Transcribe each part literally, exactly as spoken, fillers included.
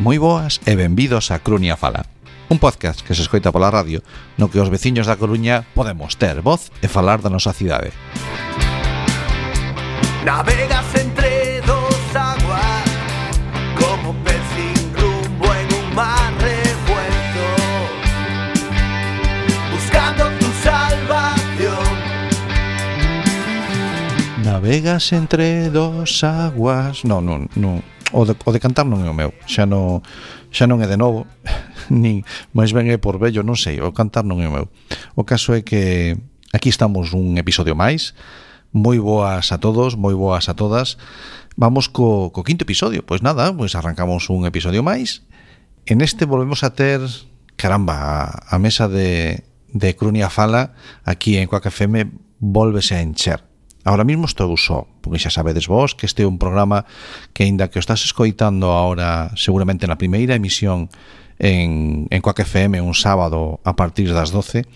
Moi boas e benvidos a Coruña Fala, un podcast que se escoita pola radio no que os veciños da Coruña podemos ter voz e falar da nosa cidade. Navegas entre dos aguas como pez sin rumbo en un mar revuelto, buscando tu salvación. Navegas entre dos aguas... Non, non, non. O de, o de cantar non é o meu, xa non, xa non é de novo, nin máis ben é por vello, non sei, o cantar non é o meu. O caso é que aquí estamos un episodio máis. Moi boas a todos, moi boas a todas. Vamos co, co quinto episodio. Pois nada, pois arrancamos un episodio máis. En este volvemos a ter, caramba, a, a mesa de, de Coruña Fala aquí en Quack F M volvese a encher. Ahora mismo estou só, porque xa sabedes vos que este é un programa que, aínda que o estás escoitando ahora seguramente na primeira emisión en, en Quack F M un sábado a partir das doce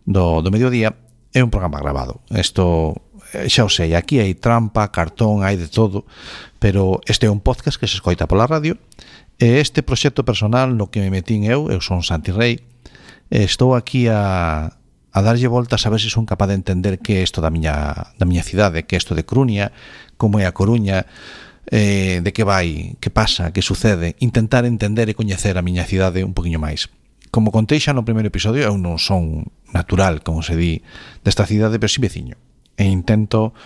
do, do mediodía, é un programa grabado. Isto, xa o sei, aquí hai trampa, cartón, hai de todo, pero este é un podcast que se escoita pola radio, e este proxecto personal no que me metín eu, eu son Santi Rei, e estou aquí a... a darlle voltas a ver se son capaz de entender que é isto da miña, da miña cidade, que é isto de Coruña, como é a Coruña, eh, de que vai, que pasa, que sucede, intentar entender e coñecer a miña cidade un poquinho máis. Como contei xa no primeiro episodio, eu non son natural, como se di, desta cidade, pero si veciño, e intento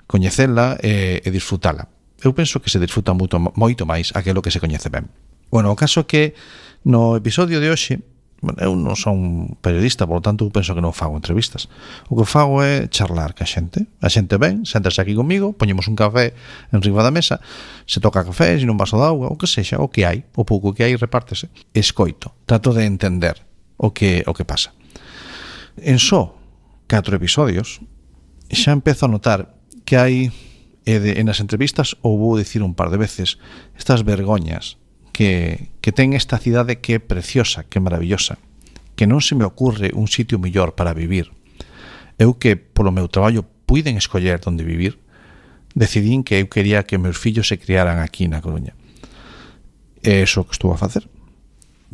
coñecela e, e disfrutala. Eu penso que se disfruta moito, moito máis aquilo que se coñece ben. Bueno, o caso é que no episodio de hoxe, eu non son periodista, por lo tanto penso que non fago entrevistas. O que fago é charlar ca xente. A xente ven, séntase aquí comigo, poñemos un café en riba da mesa, se toca café, sin un vaso de auga, o que sexa, o que hai, o pouco que hai repártese. Escoito, trato de entender o que o que pasa. En só catro episodios xa empezo a notar que hai, e de, en as entrevistas ou vou dicir un par de veces, estas vergoñas que, que ten esta cidade que é preciosa, que é maravillosa, que non se me ocurre un sitio mellor para vivir. Eu que polo meu traballo puiden escoller onde vivir, decidín que eu quería que meus fillos se criaran aquí na Coruña. É iso que estou a facer.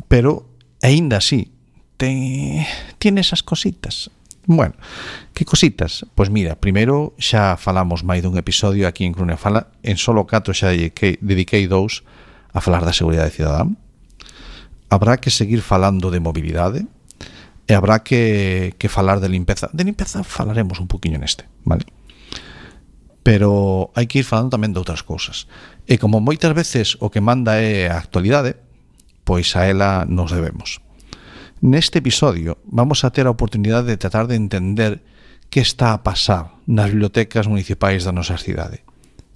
Pero, aínda así, ten, tiene esas cositas. Bueno, que cositas? Pois mira, primeiro xa falamos máis dun episodio aquí en Coruña Fala, en solo catro xa dediquei, dediquei dous a falar da seguridade cidadá. Habrá que seguir falando de mobilidade e habrá que, que falar de limpeza. De limpeza falaremos un poquinho neste, vale? Pero hai que ir falando tamén de outras cousas. E como moitas veces o que manda é a actualidade, pois a ela nos debemos. Neste episodio vamos a ter a oportunidade de tratar de entender que está a pasar nas bibliotecas municipais da nosa cidade.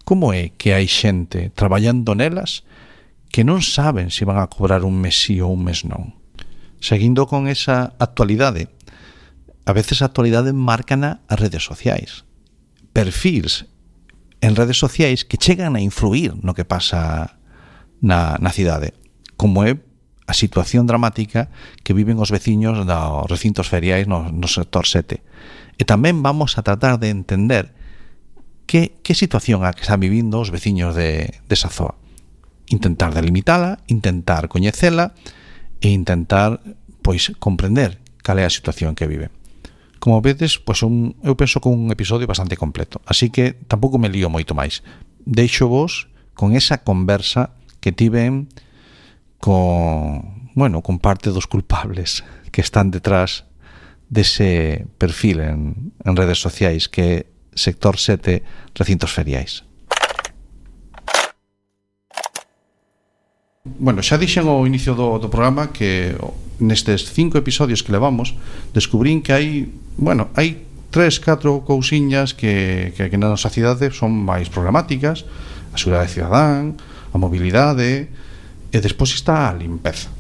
Como é que hai xente traballando nelas que non saben se van a cobrar un mes sí ou un mes non? Seguindo con esa actualidade, a veces a actualidade márcana as redes sociais. Perfils en redes sociais que chegan a influir no que pasa na, na cidade, como é a situación dramática que viven os veciños dos recintos feriais no, no sector sete. E tamén vamos a tratar de entender que, que situación a que están vivindo os veciños de, de esa zoa. Intentar delimitala, intentar coñecela e intentar, pois, comprender cal é a situación que vive. Como vedes, pois un, eu penso que un episodio bastante completo, así que tampouco me lío moito máis. Deixo vos con esa conversa que tiven con, bueno, con parte dos culpables que están detrás dese perfil en, en redes sociais que é sector sete recintos feriais. Bueno, xa dixen ao inicio do, do programa que nestes cinco episodios que levamos descubrín que hai, bueno, hai tres, catro cousiñas que, que, que na nosa cidade son máis problemáticas: a seguridade cidadán, a mobilidade, e despois está a limpeza.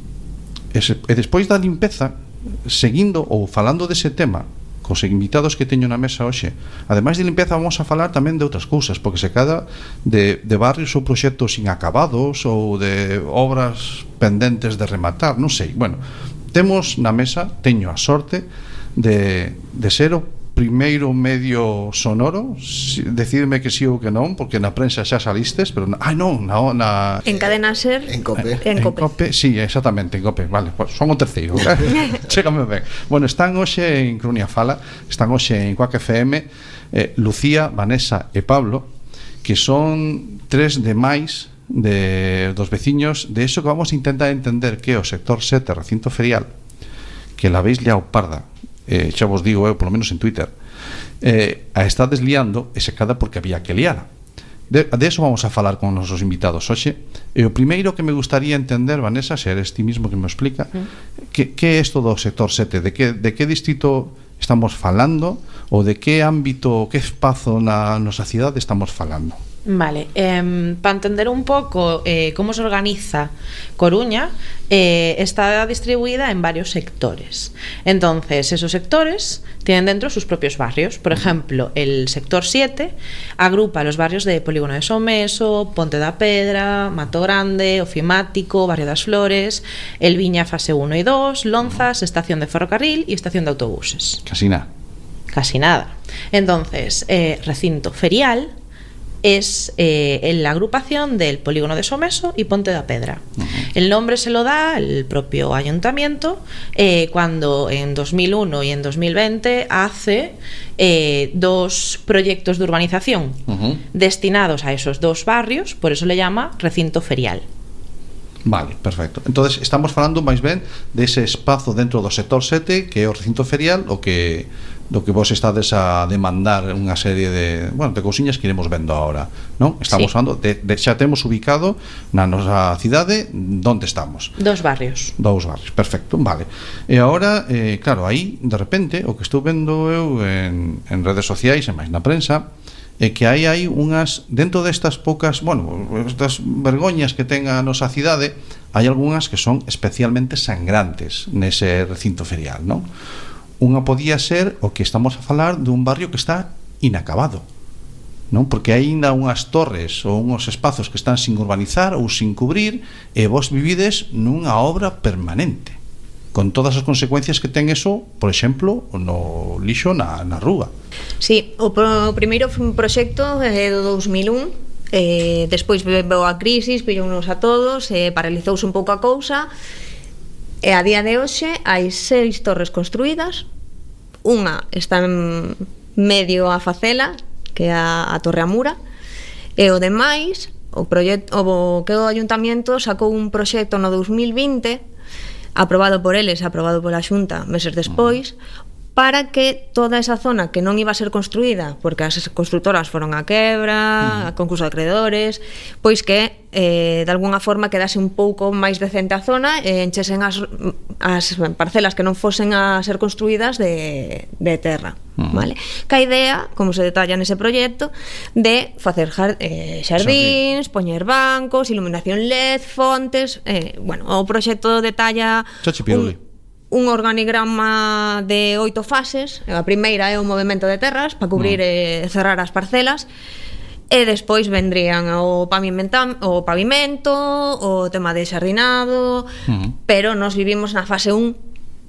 E, se, e despois da limpeza, seguindo ou falando dese tema cos invitados que teño na mesa hoxe. Ademais de limpeza, vamos a falar tamén de outras cousas, porque se cada de, de barrios ou proxectos inacabados ou de obras pendentes de rematar, non sei. Bueno, temos na mesa, teño a sorte de, de ser o primeiro medio sonoro, si, decidme que sí ou que non, porque na prensa xa salistes, pero na, ai non, na, na en Cadena Ser, en Cope. En, en Cope. Cope, sí, exactamente, en Cope, vale, pues son o terceiro. Chégame ben. Bueno, están hoxe en Crunia Fala, están hoxe en Quack F M, eh, Lucía, Vanessa e Pablo, que son tres de máis de dos veciños de eso que vamos a intentar entender que é o sector sete, recinto ferial, que la veis liao parda. Eh, xa vos digo eu, polo menos en Twitter, eh, a está desliando e secada porque había que liar. De, de eso vamos a falar con os nosos invitados hoxe. E o primeiro que me gustaría entender, Vanessa, se eres ti mismo que me explica, mm. que, que é isto do sector sete, de que, de que distrito estamos falando, ou de que ámbito, que espazo na nosa cidade estamos falando. Vale, eh, para entender un pouco eh, como se organiza Coruña, eh, está distribuida en varios sectores. Entonces, esos sectores tienen dentro sus propios barrios. Por ejemplo, el sector siete agrupa los barrios de Polígono de Someso, Ponte da Pedra, Mato Grande, Ofimático, Barrio das Flores, El Viña fase uno y dos, Lonzas, estación de ferrocarril y estación de autobuses. Casi nada. Casi nada. Entonces, eh, recinto ferial es eh, en la agrupación del Polígono de Someso y Ponte da Pedra. Uh-huh. El nombre se lo da el propio ayuntamiento eh, cuando en dos mil uno y en dos mil veinte hace eh, dos proyectos de urbanización uh-huh. destinados a esos dos barrios, por eso le llama recinto ferial. Vale, perfecto. Entonces estamos falando máis ben dese espazo dentro do sector sete, que é o recinto ferial, o que do que vos estades a demandar unha serie de, bueno, de cousiñas que iremos vendo agora, non? Estamos sí. falando de, de xa temos ubicado na nosa cidade onde estamos. Dos barrios. Dous barrios, perfecto, vale. E agora, eh, claro, aí de repente o que estou vendo eu en, en redes sociais e máis na prensa é que aí hai unhas, dentro destas poucas, bueno, estas vergoñas que ten a nosa cidade, hai algunhas que son especialmente sangrantes nese recinto ferial, non? Unha podía ser o que estamos a falar dun barrio que está inacabado, non? Porque hai ainda unhas torres ou uns espazos que están sin urbanizar ou sin cubrir e vos vivides nunha obra permanente, con todas as consecuencias que ten eso, por exemplo, no lixo na, na rúa. Sí, o, pro, o primeiro proxecto é do dos mil un, eh, despois veo a crisis, pillounos a todos, eh, paralizouse un pouco a cousa, e a día de hoxe hai seis torres construídas, unha está en medio a facela, que é a, a Torre Amura, e o demais, o, proxecto, o que o Ayuntamiento sacou un proxecto no dos mil vinte, aprobado por eles, aprobado pola Xunta meses despois, para que toda esa zona que non iba a ser construída porque as constructoras foron a quebra, a concurso de acreedores, pois que eh, de alguna forma quedase un pouco máis decente a zona e enchesen as, as parcelas que non fosen a ser construídas de, de terra. Uh-huh. Vale? Que a idea, como se detalla nese proxecto, de facer jar, eh, xardíns, poñer bancos, iluminación L E D, fontes, eh, bueno, o proxecto detalla un, un organigrama de oito fases. A primeira é o movimento de terras para cubrir e uh-huh. cerrar as parcelas, e despois vendrían o, o pavimento, o tema de xardinado, uh-huh. pero nos vivimos na fase un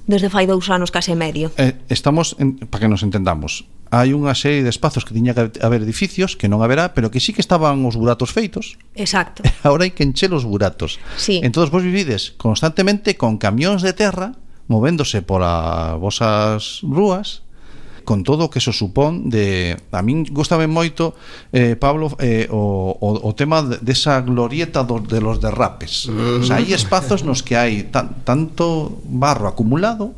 desde fai dous anos case medio. Eh, estamos, en, para que nos entendamos, hai unha serie de espazos que tiña que haber edificios que non haberá, pero que sí que estaban os buratos feitos. Exacto. Agora hai que encher os buratos. Sí. Entón vos vivides constantemente con camións de terra movéndose polas vosas rúas, con todo o que se supón de... A min gustame moito, eh, Pablo, eh, o, o, o tema desa glorieta do, de los derrapes. O sea, hai espazos nos que hai tan, tanto barro acumulado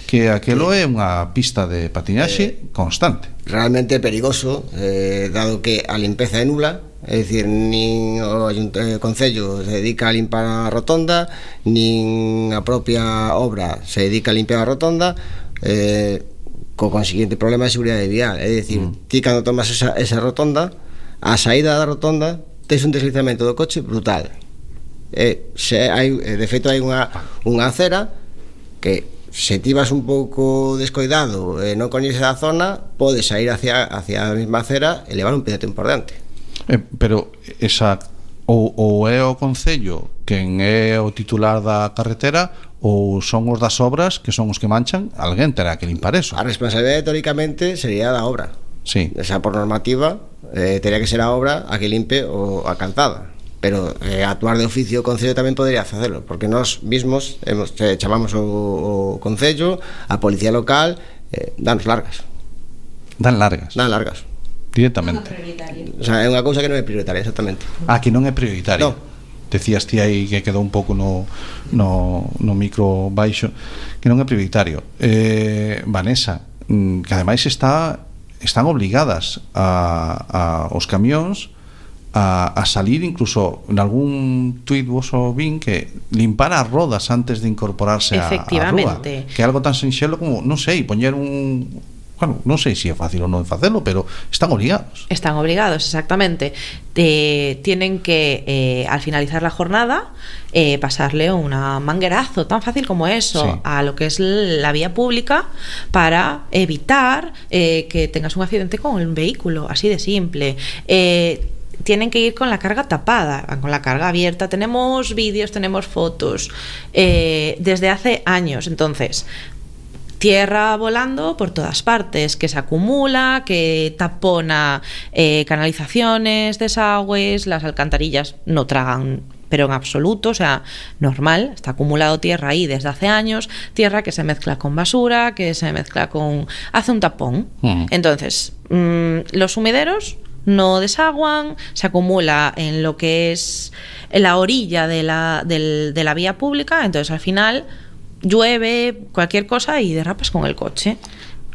que aquelo é unha pista de patinaxe eh, constante. Realmente perigoso, eh, dado que a limpeza é nula. É dicir, nin o eh, Concello se dedica a limpar a rotonda, nin a propia obra se dedica a limpiar a rotonda, eh, co consiguiente problema de seguridade vial. É dicir, mm. ti cando tomas esa, esa rotonda, a saída da rotonda tes un deslizamento do coche brutal. E, se hai, de feito hai unha, unha acera que se ti vas un pouco descoidado e non coñeces a zona, podes sair hacia, hacia a mesma acera e levar un peatón por diante. Eh, pero esa ou, ou é o Concello quen é o titular da carretera ou son os das obras que son os que manchan, alguén terá que limpar eso. A responsabilidade teóricamente sería da obra. Sí. O sea, por normativa eh, teria que ser a obra a que limpe o a calzada, pero eh, actuar de oficio o Concello tamén podría facelo, porque nós mismos hemos, eh, chamamos o, o Concello, a Policía Local, eh, danos largas. Dan largas. Dan largas. Directamente. O sea, é unha cousa que non é prioritaria, exactamente. Ah, que non é prioritaria. No. Decías ti aí que quedou un pouco no, no, no micro baixo, que non é prioritario. Eh, Vanessa, que ademais está están obligadas a, a os camións a, a salir, incluso en algún tuit vos o vin que limpar as rodas antes de incorporarse a, a rúa, que é algo tan sinxelo como, non sei, poñer un, bueno, non sei se é fácil ou non facelo, pero están obligados. Están obligados, exactamente. Te, tienen que, eh, al finalizar la jornada, eh, pasarle una manguerazo, tan fácil como eso, sí, a lo que es la vía pública para evitar eh, que tengas un accidente con el vehículo, así de simple. Eh, tienen que ir con la carga tapada, con la carga abierta. Tenemos vídeos, tenemos fotos eh, desde hace años. Entonces, tierra volando por todas partes, que se acumula, que tapona eh, canalizaciones, desagües, las alcantarillas no tragan, pero en absoluto, o sea, normal, está acumulado tierra ahí desde hace años, tierra que se mezcla con basura, que se mezcla con... hace un tapón. Uh-huh. Entonces, mmm, los sumideros no desaguan, se acumula en lo que es en la orilla de la, del, de la vía pública, entonces al final llueve, cualquier cosa y derrapas con el coche.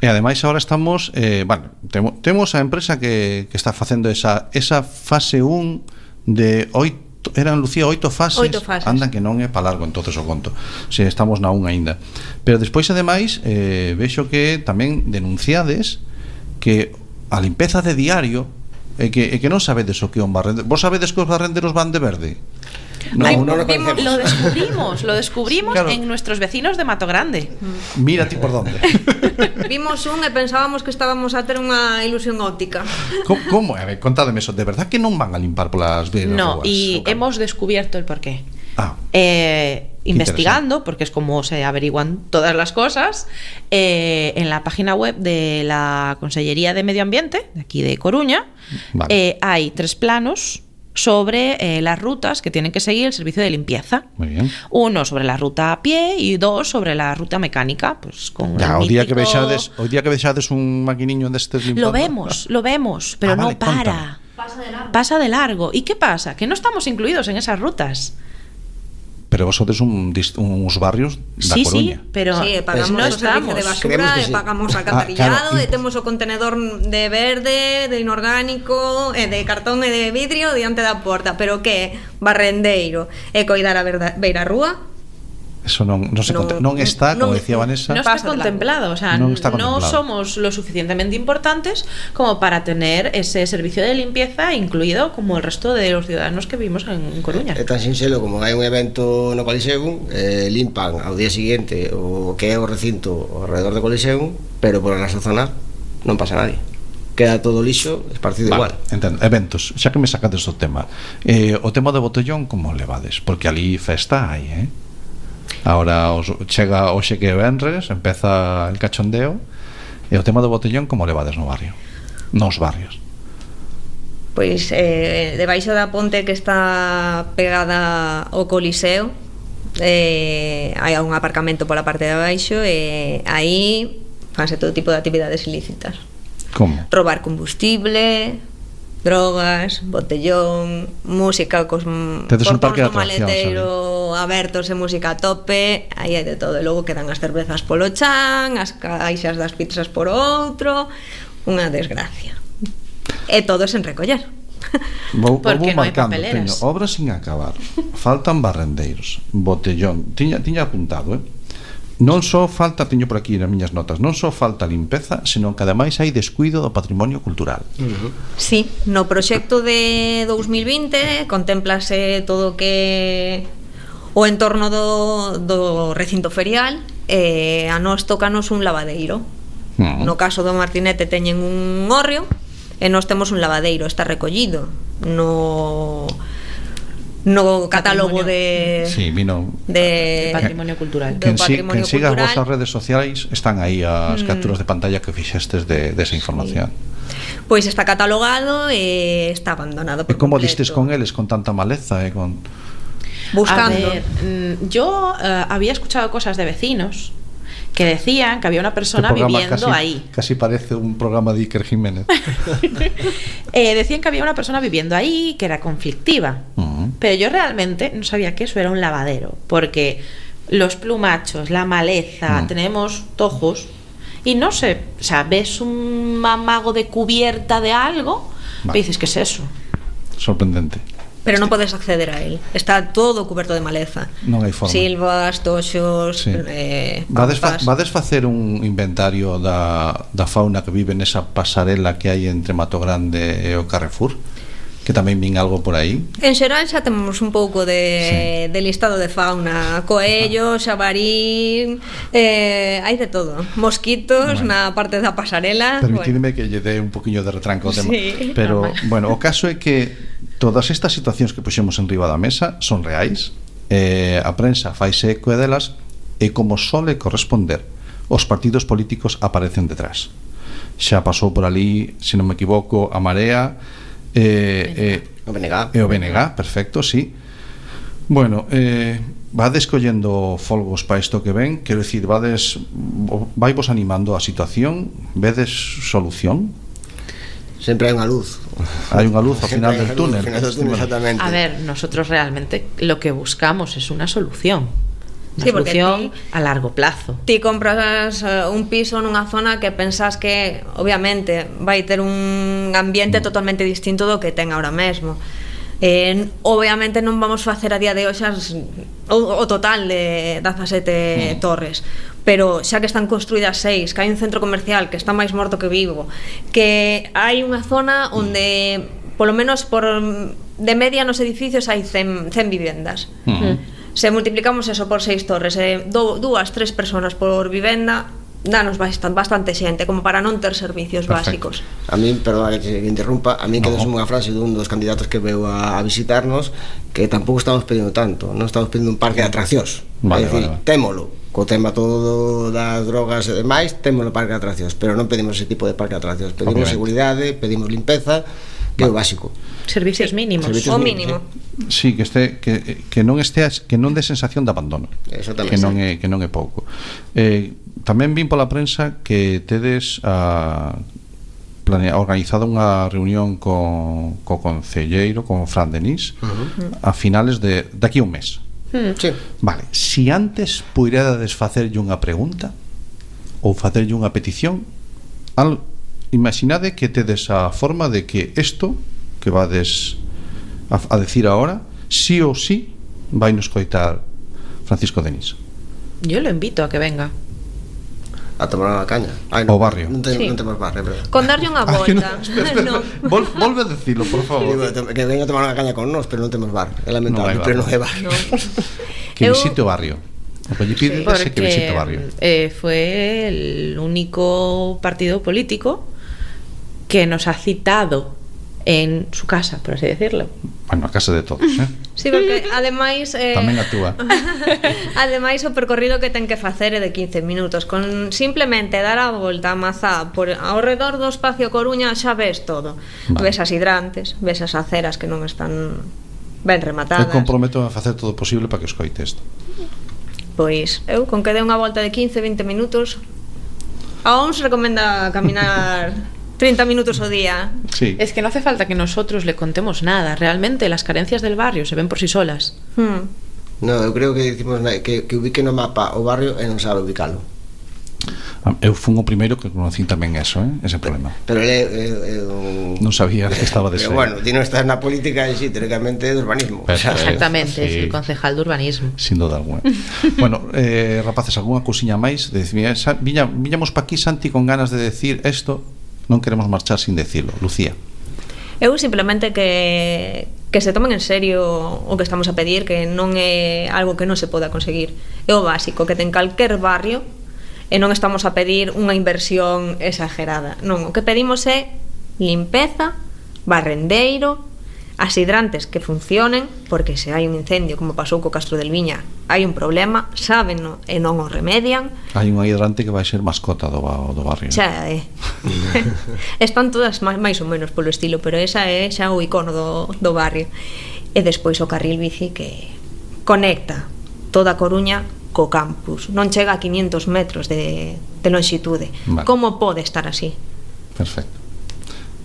E ademais agora estamos eh, bueno, temo, temos a empresa que, que está facendo esa, esa fase un de oito, eran, Lucía, oito fases, oito fases. Andan que non é pa largo entonces o conto, se estamos na un aínda. Pero despois ademais eh, vexo que tamén denunciades que a limpeza de diario e que, e que non sabedes o que é un barrendero. Vos sabedes que os barrenderos van de verde? No, Ay, no lo, lo descubrimos, lo descubrimos claro. En nuestros vecinos de Mato Grande. Mira ti por dónde. Vimos un e pensábamos que estábamos a ter unha ilusión óptica. ¿Cómo? ¿Cómo? A ver, contádeme eso. De verdad que non van a limpar polas vías? No, y okay. Hemos descubierto el porqué. Ah. Eh, investigando, porque es como se averiguan todas las cosas, eh, en la página web de la Consellería de Medio Ambiente, de aquí de Coruña, vale. eh, hay tres planos sobre eh, las rutas que tienen que seguir el servicio de limpieza. Muy bien. Uno sobre la ruta a pie y dos sobre la ruta mecánica, pues con ya, el o día mítico... que vexades, o día que vexades un maquiniño destes limpando. Lo vemos, lo vemos, pero ah, vale, no para. Pasa de largo. Pasa de largo. ¿Y qué pasa? Que no estamos incluidos en esas rutas. Pero vos sodes un, uns barrios da sí, Coruña. Sí, pero sí, pagamos no o servicio de basura, sí. pagamos alcantarillado, ah, claro. E temos o contenedor de verde, de inorgánico, e de cartón e de vidrio diante da porta. Pero que barrendeiro e coidar a verda, beira rúa? Eso non, non, se no, conte, non está, como no, decía Vanessa, no está contemplado, o sea, non está no contemplado. Somos lo suficientemente importantes como para tener ese servicio de limpieza incluido como el resto de los ciudadanos que vivimos en Coruña. É tan sinxelo como hai un evento no Coliseum, eh, limpan ao día seguinte o que é o recinto ao redor do Coliseum, pero por a nosa zona non pasa nadie. Queda todo lixo esparcido vale, igual. Entendo. Eventos, xa que me sacades o tema, eh, o tema do botellón como levades? Porque ali festa hai, eh? Ahora os, chega hoxe que é venres, empeza el cachondeo. E o tema do botellón como levades no barrio? Nos barrios? Pois eh, debaixo da ponte que está pegada ao Coliseo, eh, hai un aparcamento pola parte de abaixo e aí fanse todo tipo de actividades ilícitas. Como? Robar combustible, drogas, botellón, música cos portóns do maleteiro abertos e música a tope, aí hai de todo. E logo quedan as cervezas polo chan, as caixas das pizzas por outro, unha desgracia. E todo sen recoller. Vou, porque vou non hai marcando, papeleras. teño obras sin acabar, faltan barrendeiros, botellón, tiña, tiña apuntado, eh? Non só falta, teño por aquí nas miñas notas, non só falta limpeza, senón que ademais hai descuido do patrimonio cultural. Uh-huh. Sí, no proxecto de dous mil vinte contémplase todo o que o entorno do, do recinto ferial, e a nós tócanos un lavadeiro. Mm. No caso do Martinete teñen un hórreo e nós temos un lavadeiro, está recollido no no catálogo de Sí, vino. de De patrimonio cultural. de- Quen, si, patrimonio quen siga as cultural. vosas redes sociais están aí as capturas de pantalla que fixestes de, de esa información. Pois está catalogado e está abandonado E por como completo. distes con eles con tanta maleza e con Buscando. A ver, mm, yo eh, había escuchado cosas de vecinos que decían que había una persona Este programa viviendo casi, ahí. Casi parece un programa de Iker Jiménez. Eh, decían que había una persona viviendo ahí que era conflictiva. Ujú. Pero yo realmente no sabía que eso era un lavadero, porque los plumachos, la maleza, Mm. tenemos tojos y no sé, o sea, ves un mamago de cubierta de algo Vale. y dices, ¿qué es eso? Sorprendente. Pero non podes acceder a él. Está todo cuberto de maleza. Non hai forma. Silvas, toxos, Sí. eh, Vades, fa, pampas. vades facer un inventario da, da fauna que vive nesa pasarela que hai entre Mato Grande e o Carrefour? Que tamén vin algo por aí. En xeral xa temos un pouco de, de listado de fauna. Coello, xabarí, eh, hai de todo. Mosquitos Bueno. na parte da pasarela. Permitidme que lle dé un poquinho de retranco ao tema. Sí. Pero, Normal. bueno, o caso é que todas estas situacións que puxemos en riba da mesa son reais. Eh, a prensa faise eco delas e como sole corresponder, os partidos políticos aparecen detrás. Xa pasou por ali, se non me equivoco, a Marea e, e, O B N G. e o B N G, perfecto, sí. Bueno, eh, vades collendo folgos para isto que ven, quero dicir, vades vaivos animando a situación, vedes solución? Sempre hai unha luz. Hai unha luz ao final Sempre hai del unha luz túnel. ao final del túnel, exactamente. A ver, nosotros realmente lo que buscamos es una solución. Una Sí, porque solución ti- a largo plazo. Ti compras eh, un piso nunha zona que pensas que obviamente vai ter un ambiente totalmente distinto do que ten ahora mesmo. Eh, obviamente non vamos facer a día de hoxe as- o, o total de dezasete torres, pero xa que están construídas seis, que hai un centro comercial que está máis morto que vivo, que hai unha zona onde polo menos por de media nos edificios hai cen, cen vivendas. Mm. Se multiplicamos eso por seis torres, eh, do, dúas, tres personas por vivenda, danos bastante, bastante xente como para non ter servicios Perfecto. básicos. A mí, perdón que te interrumpa, a mí No. quedou unha frase dun dos candidatos que veu a, a visitarnos que tampouco estamos pedindo tanto, non estamos pedindo un parque de atraccións. Vale, é dicir, vale, vale. témolo, co tema todo das drogas e demais, témolo parque de atraccións, pero non pedimos ese tipo de parque de atraccións, pedimos Obviamente. seguridade, pedimos limpeza, que é o básico. Servicios mínimos. Servicios O mínimos, mínimo. Sí, que este que, que non esteas, que non dé sensación de abandono. Exactamente. Que non é que non é pouco. Eh, tamén vin pola prensa que tedes a planea, organizado unha reunión co, co concelleiro, con Fran Denis, Uh-huh. a finales de daqui a un mes. Mm. Sí. Vale, si antes puidades facerlle unha pregunta ou facerlle unha petición, al, imaginade que tedes a forma de que isto que vades a, a decir ahora, sí ou sí vai nos coitar Francisco Denis. Yo lo invito a que venga. A tomar unha caña. Ai, O barrio. Non, ten, Sí. non temos barrio, é verdade. Con darlle unha Ay, no, volta. espera, espera, No. Vol, volve a decirlo, por favor. Digo, que veña a tomar unha caña con nós, pero non temos bar. É lamentable, Non hai bar. pero non hai bar. No. Que Eu- visite o barrio. O que lle pide é que visite o barrio. eh, fue el único partido político que nos ha citado en su casa, por así decirlo. Bueno, a casa de todos, eh? Sí, porque ademais eh, Tamén a túa. ademais o percorrido que ten que facer é de quince minutos. Con simplemente dar a volta a Mazá por ao redor do espacio Coruña xa ves todo. Vale. Ves as hidrantes, ves as aceras que non están ben Eu rematadas. comprometo a facer todo o posible para que escoite isto. Pois eu con que dé unha volta de quince, vinte minutos. A O M S recomenda caminar treinta minutos ao día. Sí. Es que no hace falta que nosotros le contemos nada. Realmente las carencias del barrio se ven por sí solas. Hmm. No, eu creo que dicimos na- que, que ubique no mapa o barrio e non sabe ubicalo. Eu fun o primeiro que conocín tamén eso, eh? Ese problema. Pero ele é, é, é un... Non sabía que estaba de ser. Pero bueno, ti non estás na política e sí, teóricamente é de urbanismo. Pero- O sea, Exactamente, sí. es el concejal de urbanismo. Sin duda alguna. Bueno, eh, rapaces, algunha cousiña máis de decir, mira, sa- viña, viñamos pa aquí, Santi, con ganas de decir isto, non queremos marchar sin decirlo. Lucía. Eu simplemente que que se tomen en serio o que estamos a pedir, que non é algo que non se poda conseguir. É o básico que ten calquer barrio e non estamos a pedir unha inversión exagerada. Non, o que pedimos é limpeza, barrendeiro, as hidrantes que funcionen, porque se hai un incendio como pasou co Castro del Viña, hai un problema, sábenno e non o remedian. Hai unha hidrante que vai ser mascota do, do barrio. Xa é. Están todas máis ou menos polo estilo, pero esa é xa o icono do, do barrio. E despois o carril bici que conecta toda a Coruña co campus. Non chega a quinientos metros de, de longitude. Vale. Como pode estar así? Perfecto.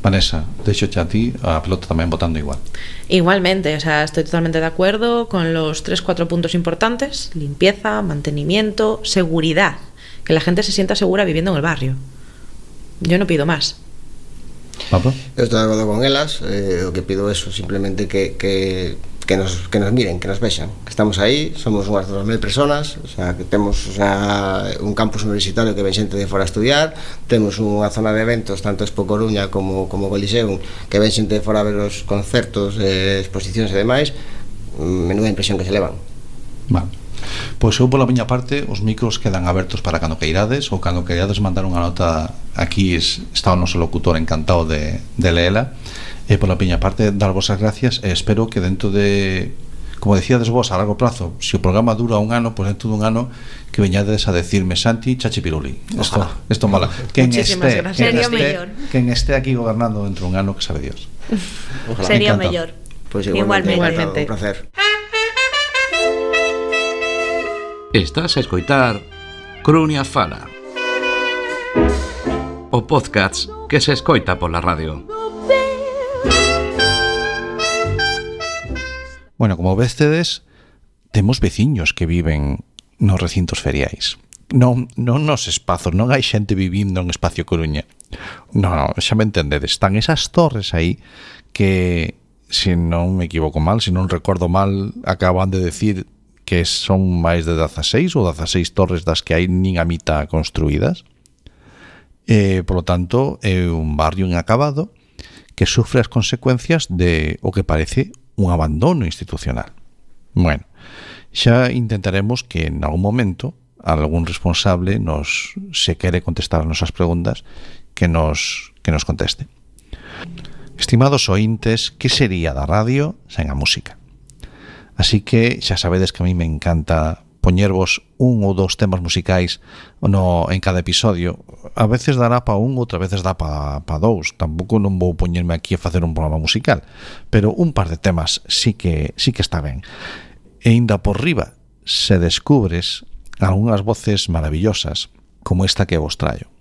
Vanessa, deixoche a ti a pelota tamén votando igual. Igualmente, o sea, estoy totalmente de acuerdo con los tres, cuatro puntos importantes: limpieza, mantenimiento, seguridad, que la gente se sienta segura viviendo en el barrio. Yo no pido más. ¿Pablo? Eu estou de acordo con elas, eh, o que pido é simplemente que, que, que, nos, que nos miren, que nos vexan, que estamos aí, somos unhas dos mil personas, o sea, que temos, o sea, un campus universitario que ven xente de fora a estudiar, temos unha zona de eventos, tanto Expo Coruña como, como Coliseum, que ven xente de fora a ver os concertos, eh, exposicións e demais. Menuda impresión que se levan. Vale. Pois eu pola miña parte os micros quedan abertos para cando queirades, ou cando queirades mandar unha nota aquí, está o noso locutor encantado de, de leela. E pola miña parte darvos as gracias, e espero que dentro de, como decíades vos, a largo plazo, se o programa dura un ano, pois dentro dun ano que veñades a decirme Santi Chachipiruli. Isto, isto mola. Quen este, quen este, quen este aquí gobernando dentro dun ano, que sabe Dios. Ojalá. Sería mellor. Pois igualmente, igualmente. Un placer. Estás a escoitar Coruña Fala, o podcast que se escoita pola radio. Bueno, como vestedes, temos veciños que viven nos recintos feriais. Non, non nos espazos, non hai xente vivindo en Espacio Coruña. Non, non, xa me entendedes. Están esas torres aí que, se non me equivoco mal, se non recordo mal, acaban de decir que son máis de dezaseis ou dezaseis torres das que hai nin a mitad construídas. E, por lo tanto, é un barrio inacabado que sufre as consecuencias de o que parece un abandono institucional. Bueno, xa intentaremos que en algún momento algún responsable nos, se quere contestar as nosas preguntas, que nos, que nos conteste. Estimados ointes, que sería da radio sen a música? Así que xa sabedes que a mí me encanta poñervos un ou dous temas musicais no, en cada episodio. A veces dará pa un, outras veces dá pa, pa dous. Tampouco non vou poñerme aquí a facer un programa musical, pero un par de temas sí que, sí que está ben. E ainda por riba se descubres algunhas voces maravillosas como esta que vos traio.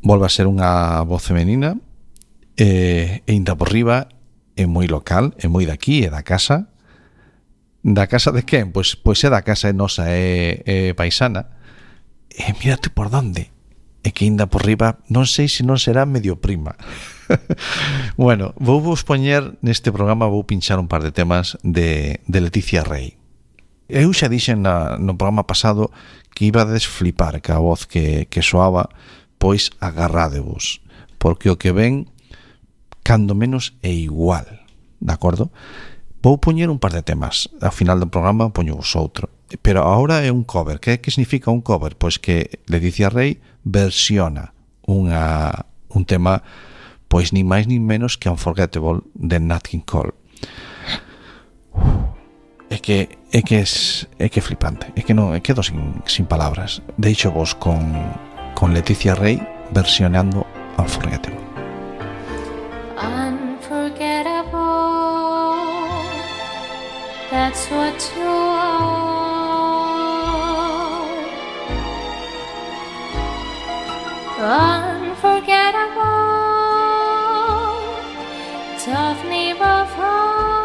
Volve a ser unha voz femenina e, e ainda por riba é moi local, é moi daqui, é da casa. Da casa de quen? Pois, pois é da casa, é nosa, é, é paisana. E mírate por donde. E que ainda por riba, non sei se non será medio prima. Bueno, vou vos poñer neste programa, vou pinchar un par de temas de, de Leticia Rey. Eu xa dixen na, no programa pasado que iba a desflipar que a voz que, que soaba, pois agarrádevos, porque o que ven, cando menos é igual, de acordo? Vou poñer un par de temas. Ao final do programa poño vos outro. Pero agora é un cover. Que que significa un cover? Pois que Leticia Rey versiona unha, un tema, pois ni máis ni menos que Unforgettable de Nat King Cole. É que é que es é que é flipante. É que non, é quedo sin sin palabras. Deixo vos con con Leticia Rey versionando Unforgettable. That's what you are. Unforgettable, tough never fall.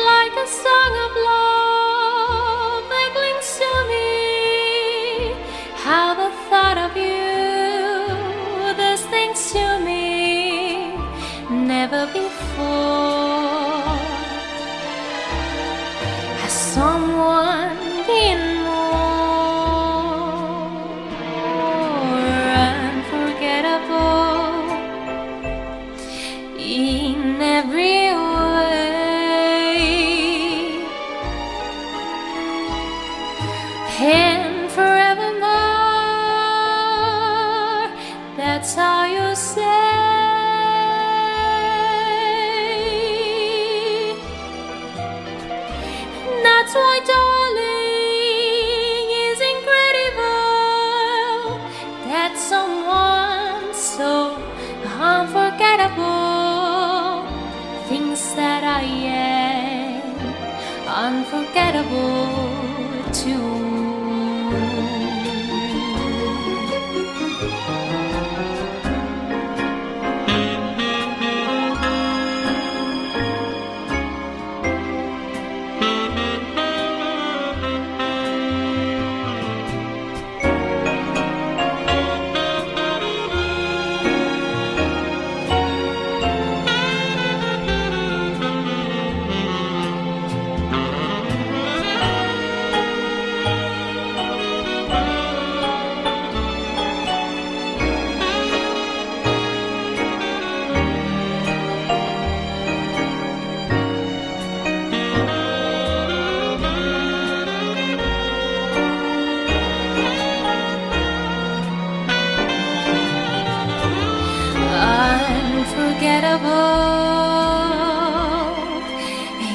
Like a song of love that clings to me. How the thought of you, this things to me. Never before has someone been more and forevermore. That's how you say. That's why, darling, is incredible that someone so unforgettable thinks that I am unforgettable too.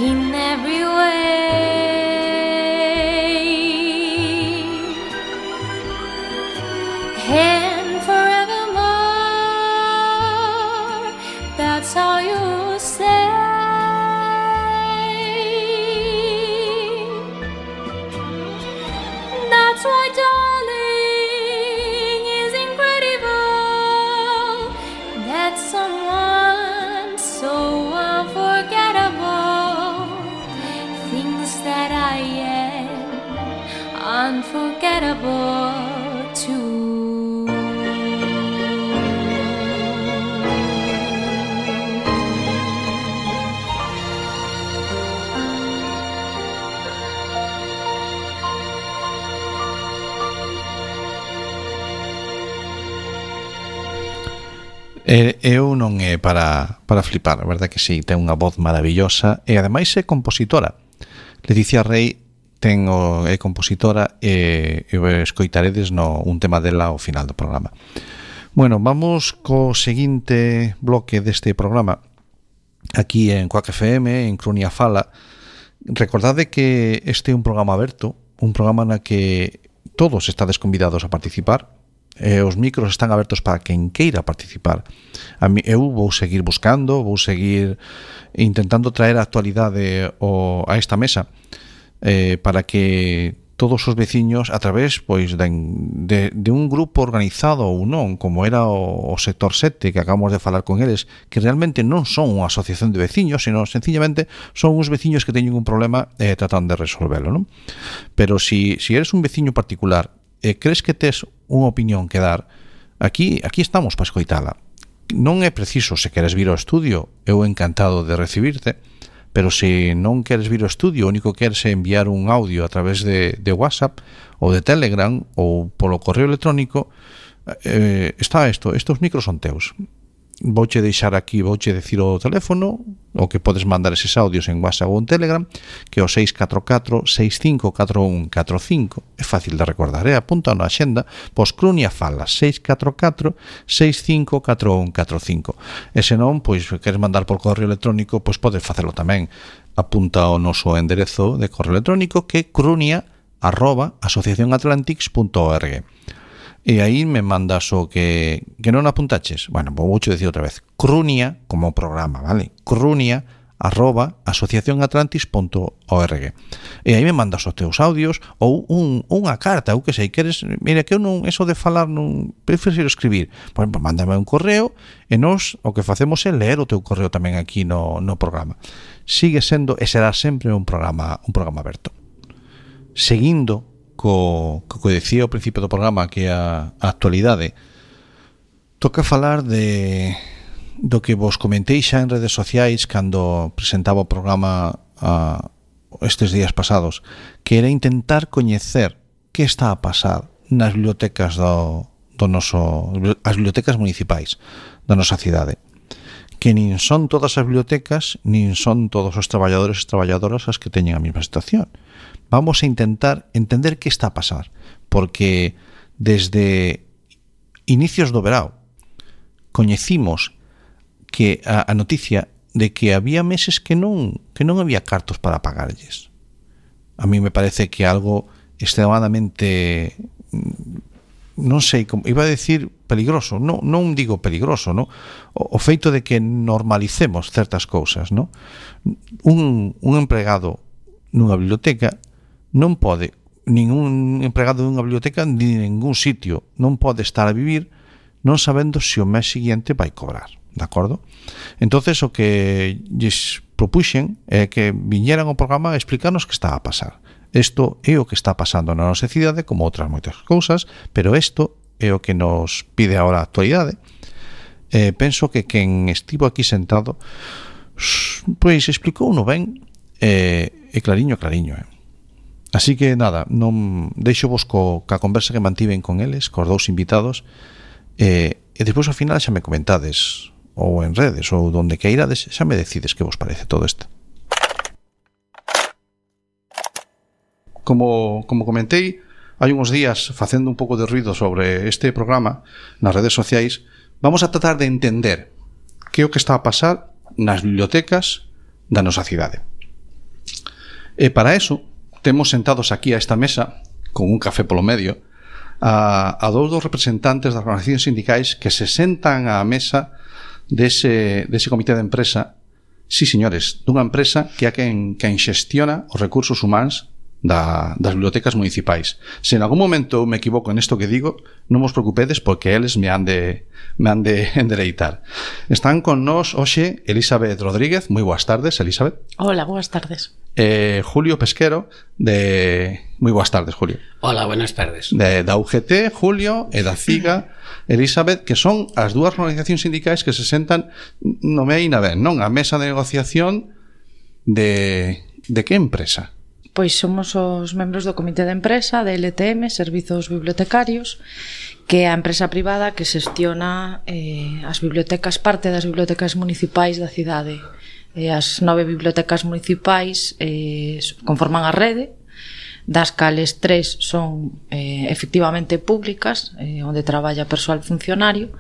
In every way, and forevermore. That's how you say. That's why, darling, is incredible that someone so unforgettable thinks that I am unforgettable too. E, eu non é para, para flipar, a verdade que sí, ten unha voz maravillosa e ademais é compositora. Leticia Rey ten o, é compositora e, e escoitaredes no, un tema dela ao final do programa. Bueno, vamos co seguinte bloque deste programa aquí en Quack F M, en Crunia Fala. Recordade que este é un programa aberto, un programa na que todos estades convidados a participar. Eh, os micros están abertos para quen queira participar. A mí, eu vou seguir buscando, vou seguir intentando traer a actualidade o, a esta mesa eh, para que todos os veciños, a través pois de, de, de un grupo organizado ou non, como era o, o sector sete, que acabamos de falar con eles, que realmente non son unha asociación de veciños, sino sencillamente son uns veciños que teñen un problema e eh, tratan de resolvelo, non? Pero si, si eres un veciño particular e crees que tes unha opinión que dar, aquí aquí estamos para escoitala. Non é preciso, se queres vir ao estudio, eu encantado de recibirte, pero se non queres vir ao estudio, o único que queres é enviar un audio a través de, de WhatsApp ou de Telegram ou polo correo electrónico, eh, está isto, estos micros son teus. Vouche deixar aquí, vouche decir o teléfono, o que podes mandar eses audios en WhatsApp ou en Telegram, que é o seis catro catro, seis cinco catro un catro cinco. É fácil de recordar, eh? Apunta na axenda, pois Crunia Fala, seis catro catro, seis cinco catro un catro cinco. E se non, pois, queres mandar por correo electrónico, pois podes facelo tamén. Apunta o noso enderezo de correo electrónico, que é crunia arroba asociación atlantics punto org. E aí me mandas o que, que non apuntaches. Bueno, vou vouche decir outra vez. Crunia, como programa, vale? Crunia, arroba, asociación atlantis punto org. E aí me mandas os teus audios ou un, unha carta, ou que sei, queres... Mira, que eu non, eso de falar, non prefiro escribir. Pois, pues, mándame un correo e nos o que facemos é ler o teu correo tamén aquí no, no programa. Sigue sendo e será sempre un programa, un programa aberto. Seguindo co, co que decía ao principio do programa, que a, a actualidade, toca falar de do que vos comentei xa en redes sociais cando presentaba o programa a, estes días pasados, que era intentar coñecer que está a pasar nas bibliotecas do, do noso, as bibliotecas municipais da nosa cidade. que nin son todas as bibliotecas nin son todos os traballadores e traballadoras as que teñen a mesma situación. Vamos a intentar entender que está a pasar, porque desde inicios do verao coñecimos que a, a noticia de que había meses que non que non había cartos para pagarlles. A mí me parece que algo extremadamente, non sei, como iba a decir peligroso, non, non digo peligroso, no? O, o feito de que normalicemos certas cousas, no? Un, un empregado nunha biblioteca non pode, ningún empregado dunha biblioteca ni ningún sitio non pode estar a vivir non sabendo se o mes seguinte vai cobrar, de acordo? Entonces o que lles propuxen é que viñeran ao programa a explicarnos que está a pasar. Isto é o que está pasando na nosa cidade, como outras moitas cousas, pero isto é o que nos pide agora a actualidade. Eh, penso que quen estivo aquí sentado pois explicou no ben e eh, clariño, clariño, eh. Así que nada, non deixo vos co, ca conversa que mantiven con eles, cos dous invitados, eh, e despois ao final xa me comentades, ou en redes, ou donde queirades, xa me decides que vos parece todo isto. Como, como comentei, hai uns días facendo un pouco de ruido sobre este programa nas redes sociais, vamos a tratar de entender que é o que está a pasar nas bibliotecas da nosa cidade. E para eso, temos sentados aquí a esta mesa, con un café polo medio, a, a dous dos representantes das organizacións sindicais que se sentan á mesa dese, dese comité de empresa, sí, señores, dunha empresa que é quen, quen xestiona os recursos humanos da, das bibliotecas municipais. Se en algún momento me equivoco en isto que digo, non vos preocupedes porque eles me han de, me han de endereitar. Están con nós hoxe Elizabeth Rodríguez. Moi boas tardes, Elizabeth. Hola, boas tardes. Eh, Julio Pesquero de... Moi boas tardes, Julio. Hola, buenas tardes. De, da U G T, Julio, e da CIGA, Elizabeth, que son as dúas organizacións sindicais que se sentan no me na ben, non? A mesa de negociación de... De que empresa? Pois somos os membros do comité de empresa de L T M, Servizos Bibliotecarios, que é a empresa privada que xestiona eh, as bibliotecas, parte das bibliotecas municipais da cidade. Eh, as nove bibliotecas municipais eh, conforman a rede, das cales tres son eh, efectivamente públicas, eh, onde traballa persoal funcionario,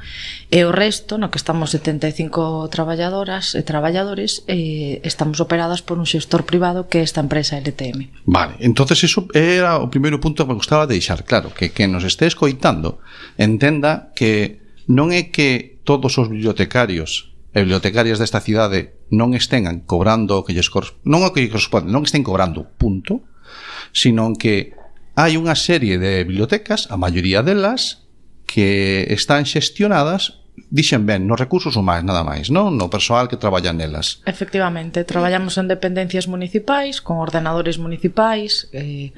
e o resto, no que estamos setenta e cinco traballadoras e traballadores, eh, estamos operadas por un xestor privado que é esta empresa L T M. Vale, entonces eso era o primeiro punto que me gustaba deixar claro, que que nos este escoitando entenda que non é que todos os bibliotecarios e bibliotecarias desta cidade non estén cobrando o que lles corresponde, non o que lles corresponde, non estén cobrando, punto, sino que hai unha serie de bibliotecas, a maioría delas, que están xestionadas, dixen ben, nos recursos humanos nada máis, non? No persoal que traballa nelas. Efectivamente, traballamos en dependencias municipais, con ordenadores municipais, eh,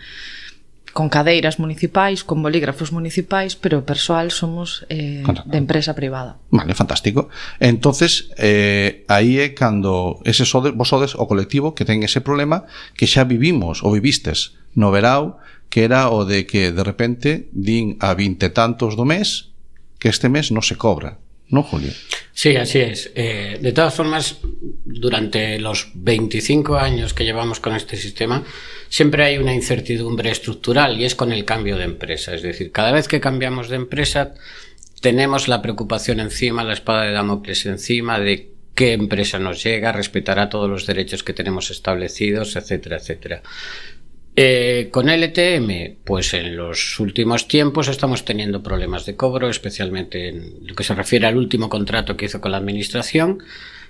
con cadeiras municipais, con bolígrafos municipais, pero o persoal somos eh, de empresa privada. Vale, fantástico. Entonces, eh, aí é cando ese sodes, vos sodes o colectivo que ten ese problema que xa vivimos ou vivistes no verao, que era o de que de repente din a vinte tantos do mes que este mes non se cobra, ¿no, Julio? Sí, así es. Eh, de todas formas, durante los veinticinco años que llevamos con este sistema, siempre hay una incertidumbre estructural y es con el cambio de empresa. Es decir, cada vez que cambiamos de empresa, tenemos la preocupación encima, la espada de Damocles encima de qué empresa nos llega, respetará todos los derechos que tenemos establecidos, etcétera, etcétera. Eh, con L T M, pues en los últimos tiempos estamos teniendo problemas de cobro, especialmente en lo que se refiere al último contrato que hizo con la administración,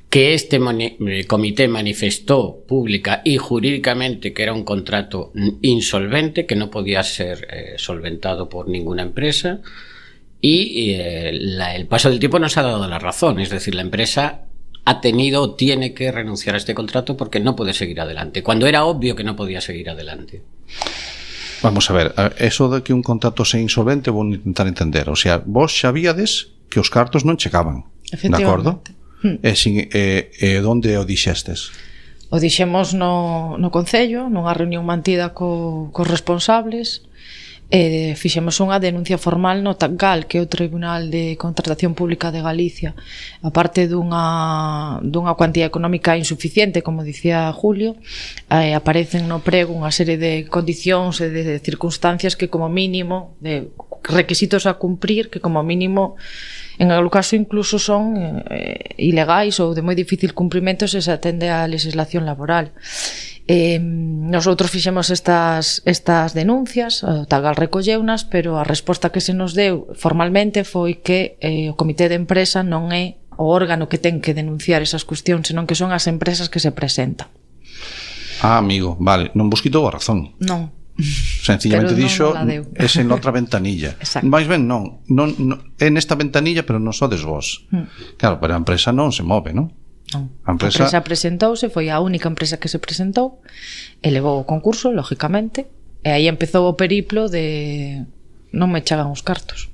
que este moni- comité manifestó pública y jurídicamente que era un contrato insolvente, que no podía ser eh, solventado por ninguna empresa, y eh, la, el paso del tiempo nos ha dado la razón, es decir, la empresa ha tenido o tiene que renunciar a este contrato porque no puede seguir adelante, cuando era obvio que no podía seguir adelante. Vamos a ver, eso de que un contrato sea insolvente vou intentar entender, o sea, vos xabíades que os cartos non chegaban, de acordo? Hmm. E, sin, e, e donde o dixestes? O dixemos no, no Concello, nunha reunión mantida co, cos responsables, e fixemos unha denuncia formal no TACGAL, que é o Tribunal de Contratación Pública de Galicia. A parte dunha, dunha cuantía económica insuficiente, como dicía Julio, eh, aparecen no prego unha serie de condicións e de circunstancias que como mínimo, de requisitos a cumprir, que como mínimo en algún caso incluso son eh, ilegais ou de moi difícil cumprimento se se atende á legislación laboral. Eh, nosotros fixemos estas, estas denuncias, o TACGAL recolleunas, pero a resposta que se nos deu formalmente foi que eh, o comité de empresa non é o órgano que ten que denunciar esas cuestións, senón que son as empresas que se presentan. Ah, amigo, vale, non vos quitou a razón. Non. Sencillamente dixo es en outra ventanilla. Mais ben non, non, non é nesta ventanilla, pero non sodes vos. Mm. Claro, pero a empresa non se move, non? Non. A empresa... a empresa presentouse, foi a única empresa que se presentou e levou o concurso, lógicamente, e aí empezou o periplo de non me echaban os cartos.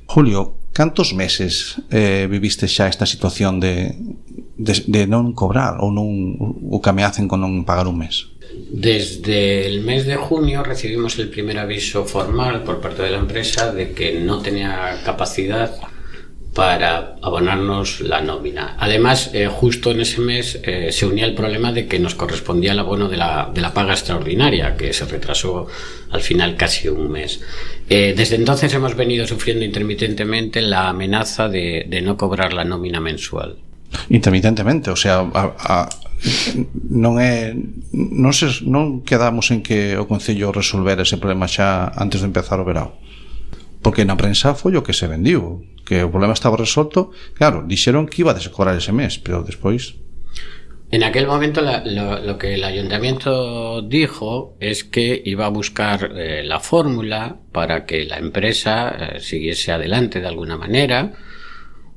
Julio, cantos meses eh, viviste xa esta situación de, de, de non cobrar ou non o que ameacen con non pagar un mes? Desde el mes de junio recibimos el primer aviso formal por parte de la empresa de que no tenía capacidad para abonarnos la nómina. Además, eh, justo en ese mes eh, se unía el problema de que nos correspondía el abono de la, de la paga extraordinaria, que se retrasó al final casi un mes. Eh, desde entonces hemos venido sufriendo intermitentemente la amenaza de, de no cobrar la nómina mensual. Intermitentemente, o sea, a, a, non é non, se, non quedamos en que o Concello resolver ese problema xa antes de empezar o verão, porque na prensa foi o que se vendiu, que o problema estaba resolto. Claro, dixeron que iba a descobrar ese mes, pero despois... En aquel momento la, lo, lo que el ayuntamiento dijo es que iba a buscar eh, la fórmula para que la empresa eh, siguiese adelante de alguna manera,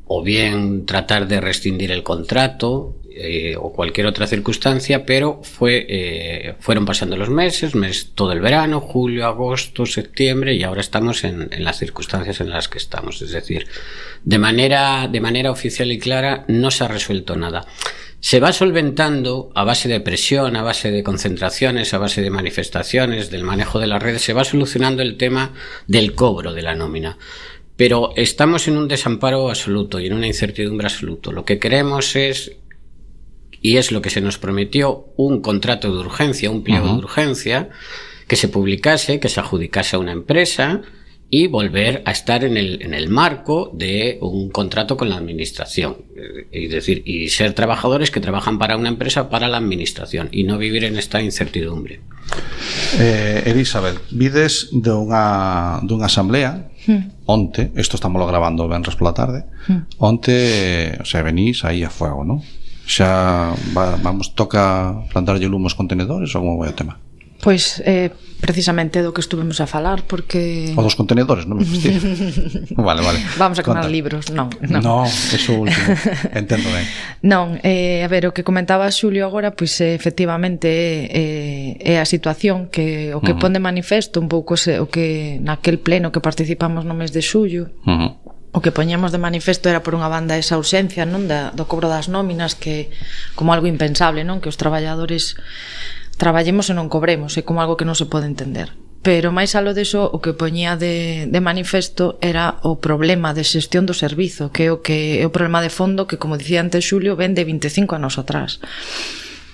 o bien tratar de rescindir el contrato eh, o cualquier otra circunstancia, pero fue eh, fueron pasando los meses, mes, todo el verano, julio, agosto, septiembre, y ahora estamos en, en las circunstancias en las que estamos. Es decir, de manera, de manera oficial y clara no se ha resuelto nada. Se va solventando a base de presión, a base de concentraciones, a base de manifestaciones, del manejo de las redes, se va solucionando el tema del cobro de la nómina. Pero estamos en un desamparo absoluto y en una incertidumbre absoluta. Lo que queremos es, y es lo que se nos prometió, un contrato de urgencia, un pliego uh-huh. de urgencia, que se publicase, que se adjudicase a una empresa y volver a estar en el, en el marco de un contrato con la administración. Es decir, y ser trabajadores que trabajan para una empresa, para la administración, y no vivir en esta incertidumbre. Eh, Elizabeth, vides dunha, dunha asamblea mm. onte, isto estamos grabando venres pola tarde, mm. onte, o sea, venís aí a fuego, non? Xa va, vamos, toca plantarlle lume aos contenedores ou como vai o tema? Pois eh, precisamente do que estuvemos a falar, porque... O dos contenedores, non me fastidio. Vale, vale. Vamos a quemar libros, non, non. No, eso último, entendo ben. Non, eh, a ver, o que comentaba Xulio agora, pois eh, efectivamente eh, é a situación que o que uh-huh. pon de manifesto un pouco se, o que naquel pleno que participamos no mes de xullo, uh-huh. o que poñemos de manifesto era por unha banda esa ausencia, non, da, do cobro das nóminas, que como algo impensable, non, que os traballadores traballemos e non cobremos, é como algo que non se pode entender. Pero máis aló deso, o que poñía de, de manifesto era o problema de xestión do servizo, que é o que é o problema de fondo que, como dicía antes Xulio, ven de vinte e cinco anos atrás,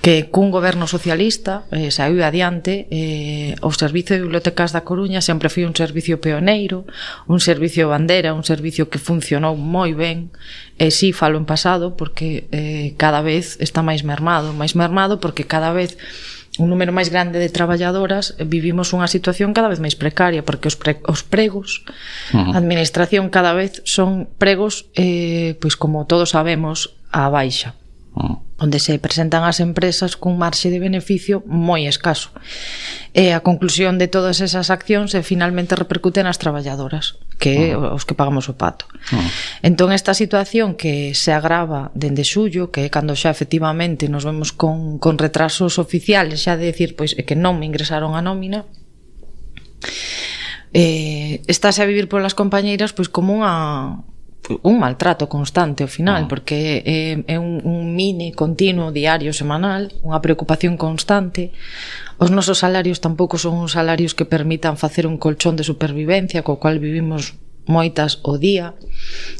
que cun goberno socialista eh, saiu adiante eh, o servizo de bibliotecas da Coruña sempre foi un servicio pioneiro, un servicio bandera, un servicio que funcionou moi ben, e si falo en pasado porque eh, cada vez está máis mermado, máis mermado porque cada vez un número máis grande de traballadoras vivimos unha situación cada vez máis precaria, porque os, pre, os pregos uh-huh. a administración cada vez son pregos eh, pois como todos sabemos á baixa, uh-huh. onde se presentan as empresas cun marxe de beneficio moi escaso, e a conclusión de todas esas accións é finalmente repercute nas traballadoras, que é uh-huh. os que pagamos o pato. Uh-huh. Entón esta situación que se agrava dende xullo, que é cando xa efectivamente nos vemos con, con retrasos oficiales, xa de decir, pois é que non me ingresaron a nómina, eh, estáse a vivir polas compañeiras pois como unha un maltrato constante ao final, porque é, é un, un mini continuo diario semanal, unha preocupación constante. Os nosos salarios tampouco son uns salarios que permitan facer un colchón de supervivencia co cual vivimos moitas o día,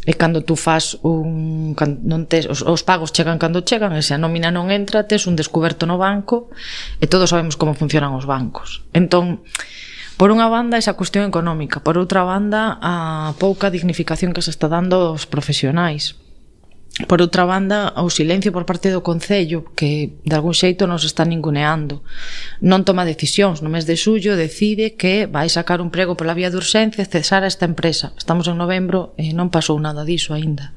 e cando tú fas un non tes, os, os pagos chegan cando chegan, e se a nómina non entra, tes un descuberto no banco, e todos sabemos como funcionan os bancos. Entón, por unha banda, esa cuestión económica, por outra banda, a pouca dignificación que se está dando aos profesionais. Por outra banda, o silencio por parte do Concello, que de algún xeito nos está ninguneando. Non toma decisións. No mes de xullo decide que vai sacar un prego pola vía de urxencia e cesar a esta empresa. Estamos en novembro e non pasou nada diso aínda.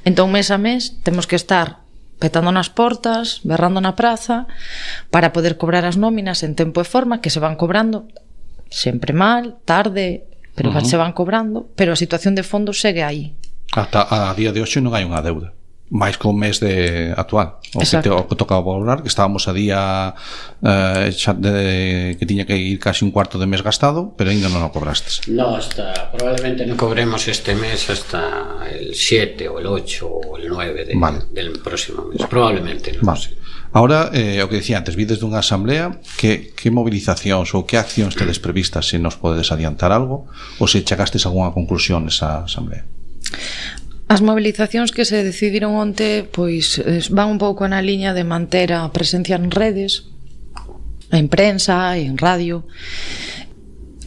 Entón, mes a mes, temos que estar petando nas portas, berrando na praza, para poder cobrar as nóminas en tempo e forma, que se van cobrando sempre mal, tarde, pero uh-huh. se van cobrando, pero a situación de fondo segue aí. Ata a día de hoxe non hai unha deuda, máis que o mes de actual, o que, te, o que tocaba valorar, que estábamos a día eh, xa de, que tiña que ir casi un cuarto de mes gastado, pero ainda non o cobrastes. No, hasta probablemente non cobremos este mes hasta el siete o el ocho o el nueve de, vale. del próximo mes, probablemente, non vale. sé. Ahora, eh, o que dicía antes, vides dunha asamblea, que, que movilizacións ou que accións tedes previstas, se nos podedes adiantar algo, ou se chegastes a algunha conclusión nesa asamblea? As movilizacións que se decidiron onte pois van un pouco na liña de manter a presencia en redes, en prensa, en radio.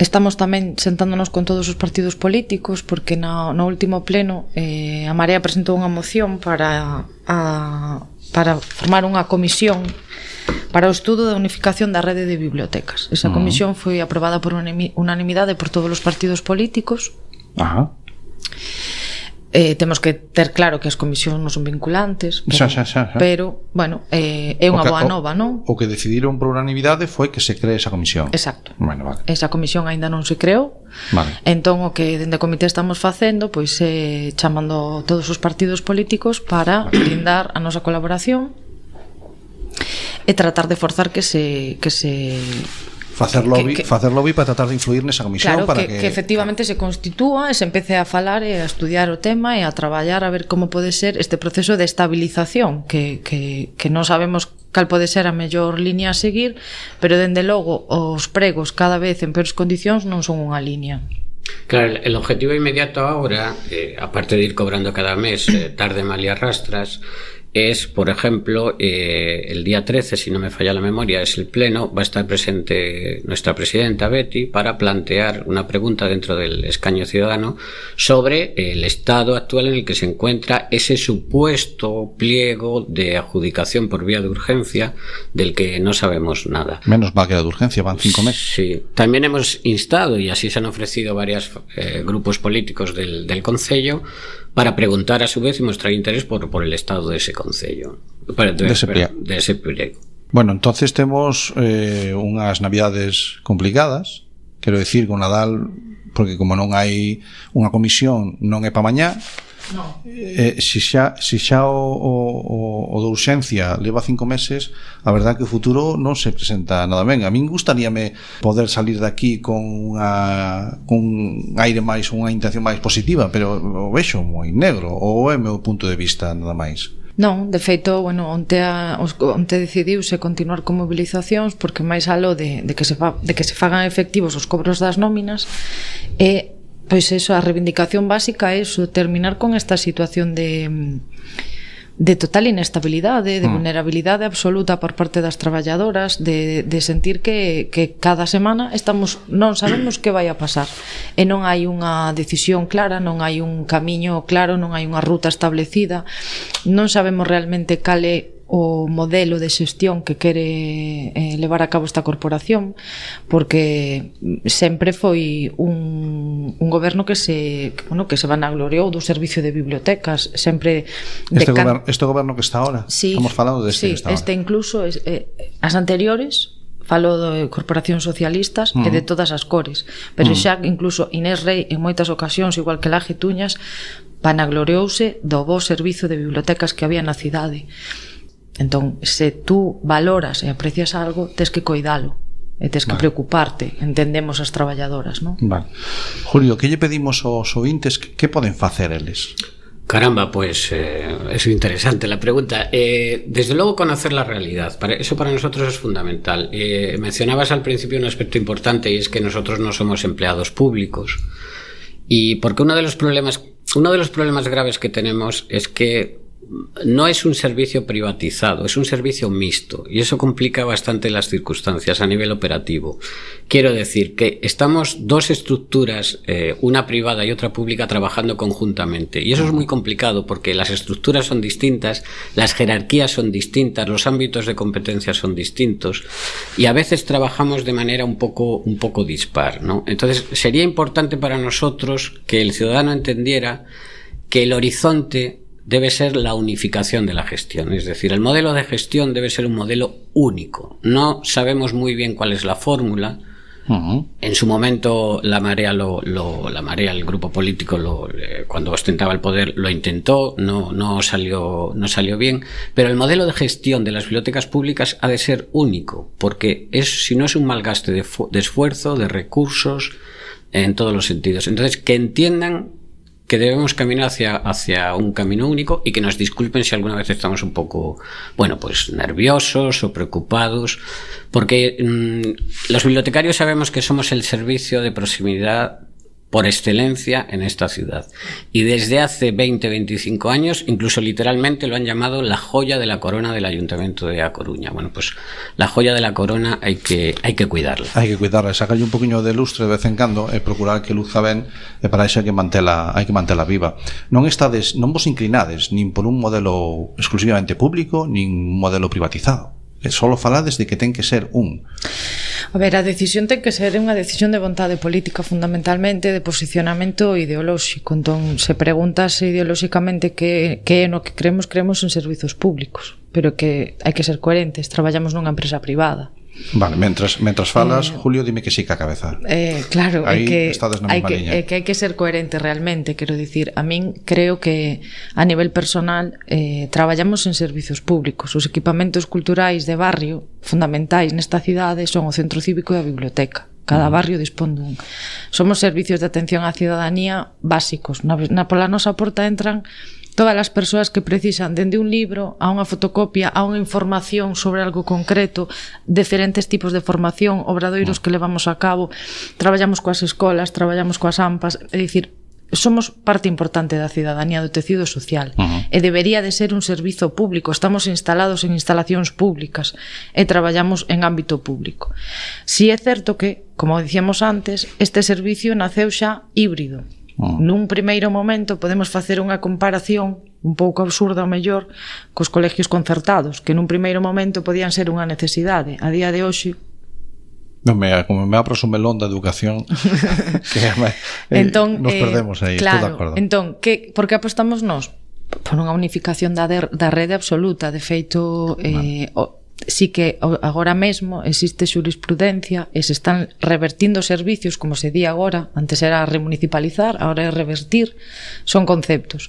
Estamos tamén sentándonos con todos os partidos políticos, porque no, no último pleno eh, a Marea presentou unha moción para, a, para formar unha comisión para o estudo da unificación da rede de bibliotecas. Esa comisión foi aprobada por unanimidade por todos os partidos políticos. Ajá. Eh, temos que ter claro que as comisións non son vinculantes, pero, xa, xa, xa, xa. pero bueno, eh, é unha boa nova, non? O que decidiron por unanimidade foi que se cree esa comisión. Exacto. Bueno, vale. Esa comisión aínda non se creou. Vale. Entón o que dende o comité estamos facendo, pois é eh, chamando todos os partidos políticos para brindar a nosa colaboración e tratar de forzar que se que se facer lobby, que, que, facer lobby para tratar de influir nesa comisión, claro, para que, que, que efectivamente se constitúa e se empece a falar e a estudiar o tema e a traballar a ver como pode ser este proceso de estabilización que, que, que non sabemos cal pode ser a mellor línea a seguir, pero dende logo os pregos cada vez en peores condicións non son unha línea. Claro, el objetivo inmediato ahora, eh, aparte de ir cobrando cada mes, eh, tarde, mal y arrastras, es, por ejemplo, eh, el día trece, si no me falla la memoria, es el pleno, va a estar presente nuestra presidenta Betty para plantear una pregunta dentro del escaño ciudadano sobre el estado actual en el que se encuentra ese supuesto pliego de adjudicación por vía de urgencia del que no sabemos nada. Menos mal que era de urgencia, van cinco meses. Sí, también hemos instado, y así se han ofrecido varios eh, grupos políticos del, del Concello, para preguntar a su vez y mostrar interés por, por el estado de ese concello, de, de, ese, de, de ese pliego. Bueno, entonces temos eh, unhas navidades complicadas, quero decir, con Nadal, porque como non hai unha comisión, non é pa mañá. No. Eh, si xa, si xa o, o, o de urxencia leva cinco meses, a verdade que o futuro non se presenta nada ben. A min gustaríame poder salir de aquí con unha con un aire máis, unha intención máis positiva, pero o vexo moi negro, ou é o meu punto de vista nada máis. Non, de feito, bueno, onte, a, onte decidiuse continuar con movilizacións porque máis aló de, de, que se fa, de que se fagan efectivos os cobros das nóminas e pois eso, a reivindicación básica é eso, terminar con esta situación de de total inestabilidade, de mm. vulnerabilidade absoluta por parte das traballadoras, de, de sentir que, que cada semana estamos non sabemos que vai a pasar e non hai unha decisión clara, non hai un camiño claro, non hai unha ruta establecida, non sabemos realmente cal é o modelo de xestión que quere eh, levar a cabo esta corporación, porque sempre foi un, un goberno que se que, bueno, que se vanagloriou do servicio de bibliotecas, sempre este, can... goberno, este goberno que está ahora, sí, estamos falando de este sí, que está este ahora. Incluso eh, as anteriores falo de corporacións socialistas uh-huh. e de todas as cores, pero uh-huh. xa incluso Inés Rei en moitas ocasións, igual que Laje Tuñas, vanagloriouse do bo servizo de bibliotecas que había na cidade. Entón, se tú valoras e aprecias algo, tes que coidalo. e tes que Vale. preocuparte, entendemos as traballadoras, non? Vale. Julio, que lle pedimos aos ointes que, que poden facer eles? Caramba, pues eh, es interesante la pregunta. Eh, desde luego conocer la realidad, para, eso para nosotros es fundamental. Eh, mencionabas al principio un aspecto importante y es que nosotros no somos empleados públicos. Y porque uno de los problemas, uno de los problemas graves que tenemos es que no es un servicio privatizado, es un servicio mixto y eso complica bastante las circunstancias a nivel operativo. Quiero decir que estamos dos estructuras, eh, una privada y otra pública, trabajando conjuntamente y eso es muy complicado porque las estructuras son distintas, las jerarquías son distintas, los ámbitos de competencia son distintos y a veces trabajamos de manera un poco, un poco dispar, ¿no? Entonces sería importante para nosotros que el ciudadano entendiera que el horizonte debe ser la unificación de la gestión, es decir, el modelo de gestión debe ser un modelo único. No sabemos muy bien cuál es la fórmula. Uh-huh. En su momento la Marea, lo, lo, la Marea, el grupo político, lo, eh, cuando ostentaba el poder, lo intentó, no, no salió, no salió bien. Pero el modelo de gestión de las bibliotecas públicas ha de ser único, porque es, si no es un malgaste de, de esfuerzo, de recursos, en todos los sentidos. Entonces, que entiendan que debemos caminar hacia, hacia un camino único y que nos disculpen si alguna vez estamos un poco, bueno, pues nerviosos o preocupados, porque mmm, los bibliotecarios sabemos que somos el servicio de proximidad por excelencia en esta ciudad. Y desde hace veinte, veinticinco años, incluso literalmente lo han llamado la joya de la corona del Ayuntamiento de A Coruña. Bueno, pues la joya de la corona hai que hai que cuidarla. Hai que cuidarla, sacarlle un poquinho de lustre de vez en cando e procurar que luzca ben, e para iso hai que mantela, hai que mantela viva. Non estades, non vos inclinades nin por un modelo exclusivamente público, nin un modelo privatizado. Solo falades de que ten que ser un. A ver, a decisión ten que ser unha decisión de vontade política, fundamentalmente de posicionamento ideolóxico. Entón, se preguntas ideolóxicamente que, que é no que creemos, creemos en servizos públicos, pero que hai que ser coherentes, traballamos nunha empresa privada. Vale, mentras, mentras falas, eh, Julio, dime que sí que a cabeza. Eh, claro, aí é que, estades na hai mesma que, liña. é que hai que ser coherente realmente, quero dicir, a min creo que a nivel personal eh, traballamos en servizos públicos. Os equipamentos culturais de barrio fundamentais nesta cidade son o centro cívico e a biblioteca. Cada barrio dispón dun. Somos servicios de atención á ciudadanía básicos. Na, na pola nosa porta entran todas as persoas que precisan dende un libro a unha fotocopia, a unha información sobre algo concreto, diferentes tipos de formación, obradoiros que levamos a cabo, traballamos coas escolas, traballamos coas AMPAs, é dicir, somos parte importante da cidadanía, do tecido social, uh-huh. e debería de ser un servizo público. Estamos instalados en instalacións públicas e traballamos en ámbito público. Si é certo que, como dicíamos antes, este servicio naceu xa híbrido. Uh-huh. Nun primeiro momento podemos facer unha comparación un pouco absurda ao mellor cos colegios concertados, que nun primeiro momento podían ser unha necesidade. A día de hoxe Non me, como me abras un melón da educación que me, eh, entón, nos perdemos aí, claro, estou de acordo. Entón, que, por que apostamos nós? Por unha unificación da, de, da rede absoluta. De feito, eh, o, sí que agora mesmo existe xurisprudencia e se están revertindo servicios, como se di agora, antes era remunicipalizar, agora é revertir, son conceptos.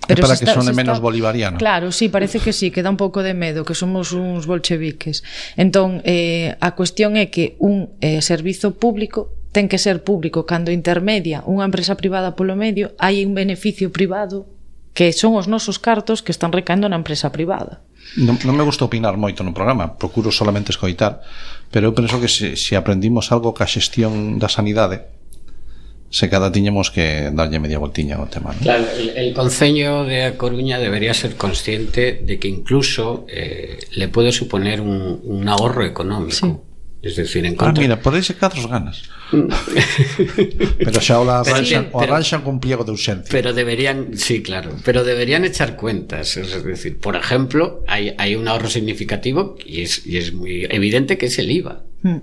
Pero para que está, sone menos está, bolivariano. Claro, sí, parece que sí, que dá un pouco de medo, que somos uns bolcheviques. Entón, eh, a cuestión é que un eh, servizo público ten que ser público. Cando intermedia unha empresa privada polo medio, hai un beneficio privado que son os nosos cartos que están recaendo na empresa privada. Non, non me gusta opinar moito no programa, procuro solamente escoitar, pero eu penso que se, se aprendimos algo ca xestión da sanidade, se cada tiñemos que darlle media voltiña ao tema, ¿no? Claro, el, el Concello de A Coruña debería ser consciente de que incluso eh, le puede suponer un, un ahorro económico. Sí. Es decir, en contra... Ah, mira, por ese catros ganas. Pero xa o arranxan, sí, o arranxan con pliego de urxencia. Pero deberían, sí, claro, pero deberían echar cuentas. Es decir, por ejemplo, hay, hay un ahorro significativo y es, y es muy evidente que es el I V A. Mm.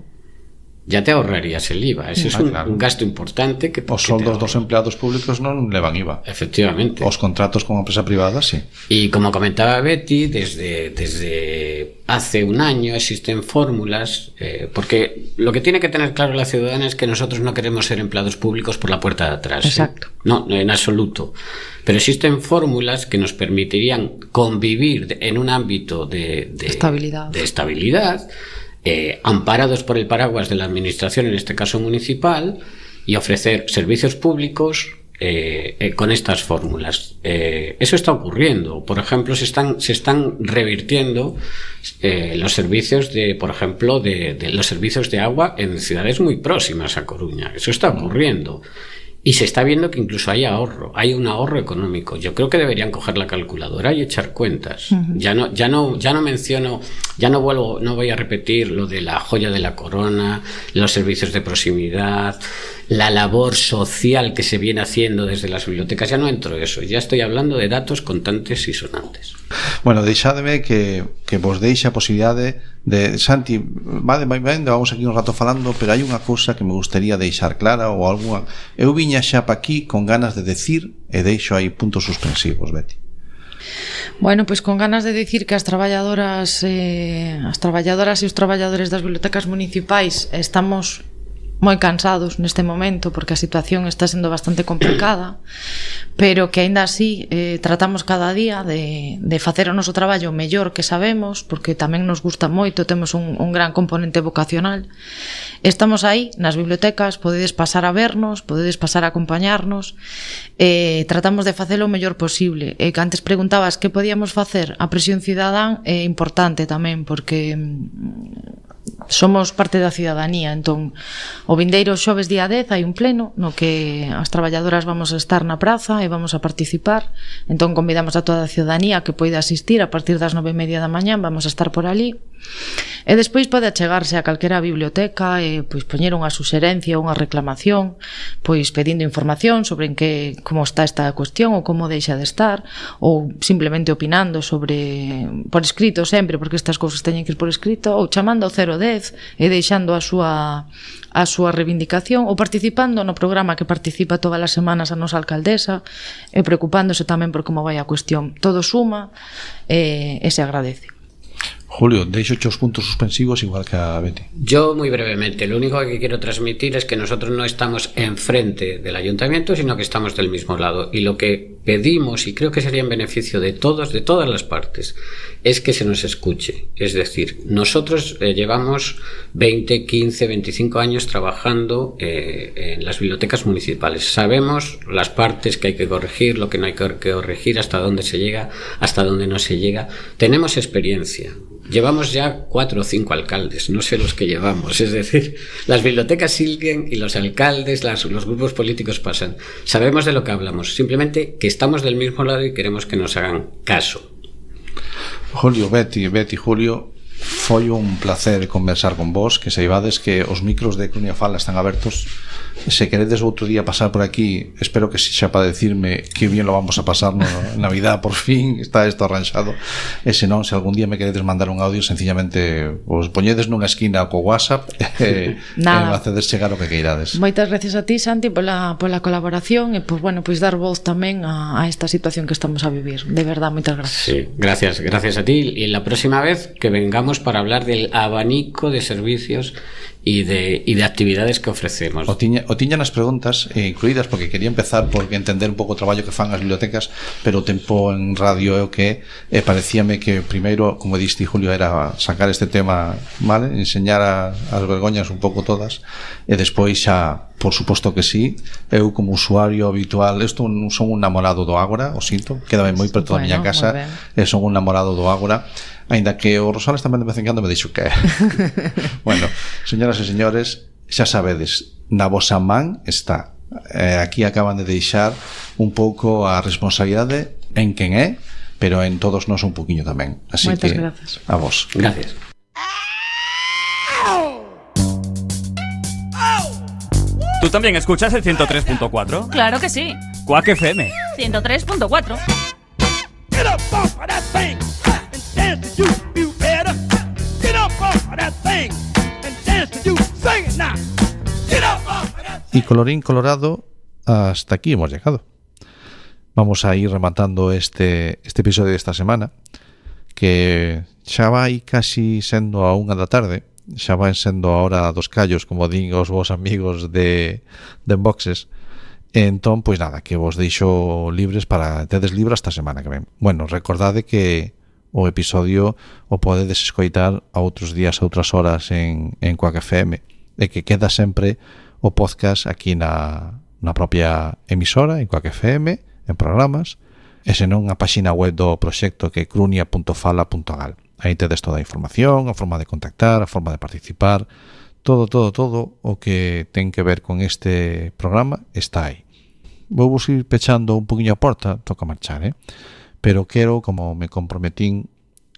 Ya te ahorrarías el I V A. Ese ah, es un, claro. un gasto importante que... Os soldos dos empleados públicos non levan I V A. Efectivamente. Os contratos con empresa privada, sí. Y como comentaba Betty, desde, desde hace un año existen fórmulas, eh, porque lo que tiene que tener claro la ciudadana es que nosotros no queremos ser empleados públicos por la puerta de atrás. Exacto. ¿eh? No, en absoluto. Pero existen fórmulas que nos permitirían convivir en un ámbito de, de estabilidad. De estabilidad eh, amparados por el paraguas de la administración, en este caso municipal, y ofrecer servicios públicos Eh, eh, con estas fórmulas. Eh, eso está ocurriendo. Por ejemplo, se están, se están revirtiendo eh, los servicios de, por ejemplo, de, de los servicios de agua en ciudades muy próximas a Coruña. Eso está ocurriendo. Y se está viendo que incluso hay ahorro, hay un ahorro económico. Yo creo que deberían coger la calculadora y echar cuentas. Uh-huh. Ya no, ya no, ya no menciono, ya no vuelvo, no voy a repetir lo de la joya de la corona, los servicios de proximidad, la labor social que se viene haciendo desde las bibliotecas. Ya no entro en eso, ya estoy hablando de datos contantes y sonantes. Bueno, deixádeme que, que vos deixe a posibilidade de... Santi, vale, vai ben, vamos aquí un rato falando, pero hai unha cousa que me gustaría deixar clara ou alguna... Eu viña xa pa aquí con ganas de decir e deixo aí puntos suspensivos, Betty. Bueno, pois con ganas de dicir que as traballadoras eh, as traballadoras e os traballadores das bibliotecas municipais estamos moi cansados neste momento porque a situación está sendo bastante complicada, pero que aínda así eh, tratamos cada día de, de facer o noso traballo mellor que sabemos, porque tamén nos gusta moito, temos un, un gran componente vocacional. Estamos aí nas bibliotecas, podedes pasar a vernos, podedes pasar a acompañarnos, eh, tratamos de facelo o mellor posible. E que antes preguntabas que podíamos facer, a presión cidadán é importante tamén, porque somos parte da cidadanía. Entón, o vindeiro xoves día dez hai un pleno no que as traballadoras vamos a estar na praza e vamos a participar. Entón convidamos a toda a cidadanía que poida asistir a partir das nove e media da mañá, vamos a estar por ali. E despois pode achegarse a calquera biblioteca e pois poñer unha suxerencia ou unha reclamación, pois pedindo información sobre en que como está esta cuestión ou como deixa de estar, ou simplemente opinando sobre por escrito sempre, porque estas cousas teñen que ir por escrito, ou chamando ao cero dez e deixando a súa a súa reivindicación, ou participando no programa que participa todas as semanas a nosa alcaldesa e preocupándose tamén por como vai a cuestión. Todo suma e, e se agradece. Julio, deixo os puntos suspensivos igual que a Betty. Yo muy brevemente, lo único que quiero transmitir es que nosotros no estamos enfrente del ayuntamiento, sino que estamos del mismo lado, y lo que pedimos, y creo que sería en beneficio de todos, de todas las partes, es que se nos escuche. Es decir, nosotros eh, llevamos veinte, quince, veinticinco años trabajando eh, en las bibliotecas municipales. Sabemos las partes que hay que corregir, lo que no hay que corregir, hasta dónde se llega, hasta dónde no se llega. Tenemos experiencia. Llevamos ya cuatro o cinco alcaldes, no sé los que llevamos, es decir, las bibliotecas siguen y los alcaldes, las, los grupos políticos pasan. Sabemos de lo que hablamos, simplemente que estamos del mismo lado y queremos que nos hagan caso. Julio, Betty, Betty, Julio, foi un placer conversar con vos, que saibades que os micros de Coruña Fala están abertos. Se queredes outro día pasar por aquí, espero que xa para decirme que bien lo vamos a pasar no Navidad, por fin está isto arranxado. E se non, se algún día me queredes mandar un audio, sencillamente os poñedes nunha esquina co WhatsApp e, e me hacedes chegar o que queirades. Moitas gracias a ti, Santi, pola, pola colaboración e pues, bueno, pues dar voz tamén a, a esta situación que estamos a vivir. De verdad, moitas gracias. Sí, gracias, gracias a ti. Y la próxima vez que vengamos para hablar del abanico de servicios y de, y de actividades que ofrecemos. O tiña, o tiñan as preguntas eh, incluídas, porque quería empezar por entender un pouco o traballo que fan as bibliotecas, pero o tempo en radio é o que é, parecíame que primeiro, como diste, Julio, era sacar este tema, vale, enseñar a, as vergoñas un pouco todas, e despois xa, por suposto que sí, eu como usuario habitual, isto non son un namorado do Ágora, o sinto, quédame moi preto da miña casa, e son un namorado do Ágora, aínda que o Rosales tamén de vez en cando me dixo que bueno, señoras e señores, xa sabedes, na vosa man está, eh, aquí acaban de deixar un pouco a responsabilidade en quen é, pero en todos nós un poquinho tamén, así Moitas que gracias. A vos. Gracias. ¿Tú también escuchas el ciento tres punto cuatro? Claro que sí. Quack F M. ciento tres punto cuatro. Get up off of that thing and dance to you, you better. Get up off of that thing and dance to you, sing it now. Get up off of that thing. Y colorín colorado, hasta aquí hemos llegado. Vamos a ir rematando este, este episodio de esta semana, que xa vai casi sendo a unha da tarde, xa vai sendo a hora dos callos, como din os vos amigos de, de Enboxes. Entón, pois nada, que vos deixo libres para tedes libre esta semana que ven. Bueno, recordade que o episodio o podedes escoitar a outros días, a outras horas en, en Quack F M, e que queda sempre o podcast aquí na, na propia emisora, en Quack F M, en programas, e senón a páxina web do proxecto que é crunia punto fala punto gal. Aí tedes toda a información, a forma de contactar, a forma de participar, todo, todo, todo o que ten que ver con este programa está aí. Vou vos ir pechando un poquinho a porta, toca marchar, eh? Pero quero, como me comprometín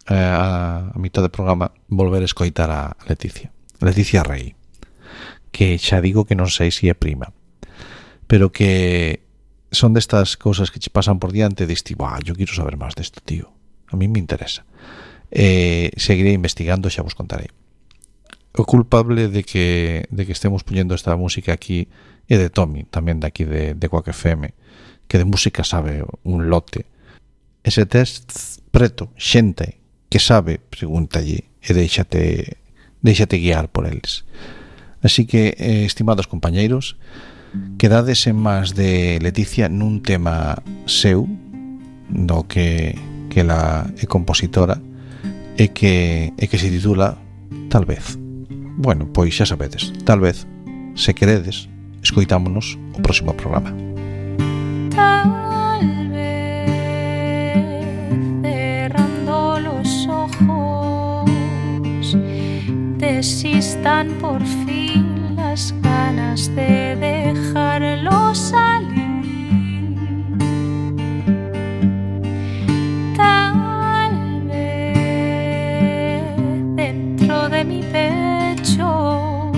eh, a, a mitad do programa, volver a escoitar a Leticia. Leticia Rey, que xa digo que non sei se é prima, pero que son destas cousas que che pasan por diante e diste, bah, yo quiero saber máis desto, tío. A mí me interesa. Eh, seguiré investigando, xa vos contarei. O culpable de que, de que estemos poñendo esta música aquí é de Tommy, tamén de aquí de, de Quack F M, que de música sabe un lote. Ese test preto, xente que sabe, pregúntalle e déixate, déixate guiar por eles. Así que, eh, estimados compañeiros, quedades en más de Leticia nun tema seu, do que, que la é compositora, e que, e que se titula Tal vez. Bueno, pois xa sabedes, tal vez, se queredes, escoitámonos o próximo programa. Tal vez cerrando los ojos desistan por fin las ganas de dejarlo salir. Tal vez dentro de mi pecho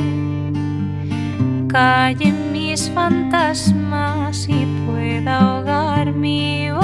callen mis fantasmas y pueda ahogar mi voz.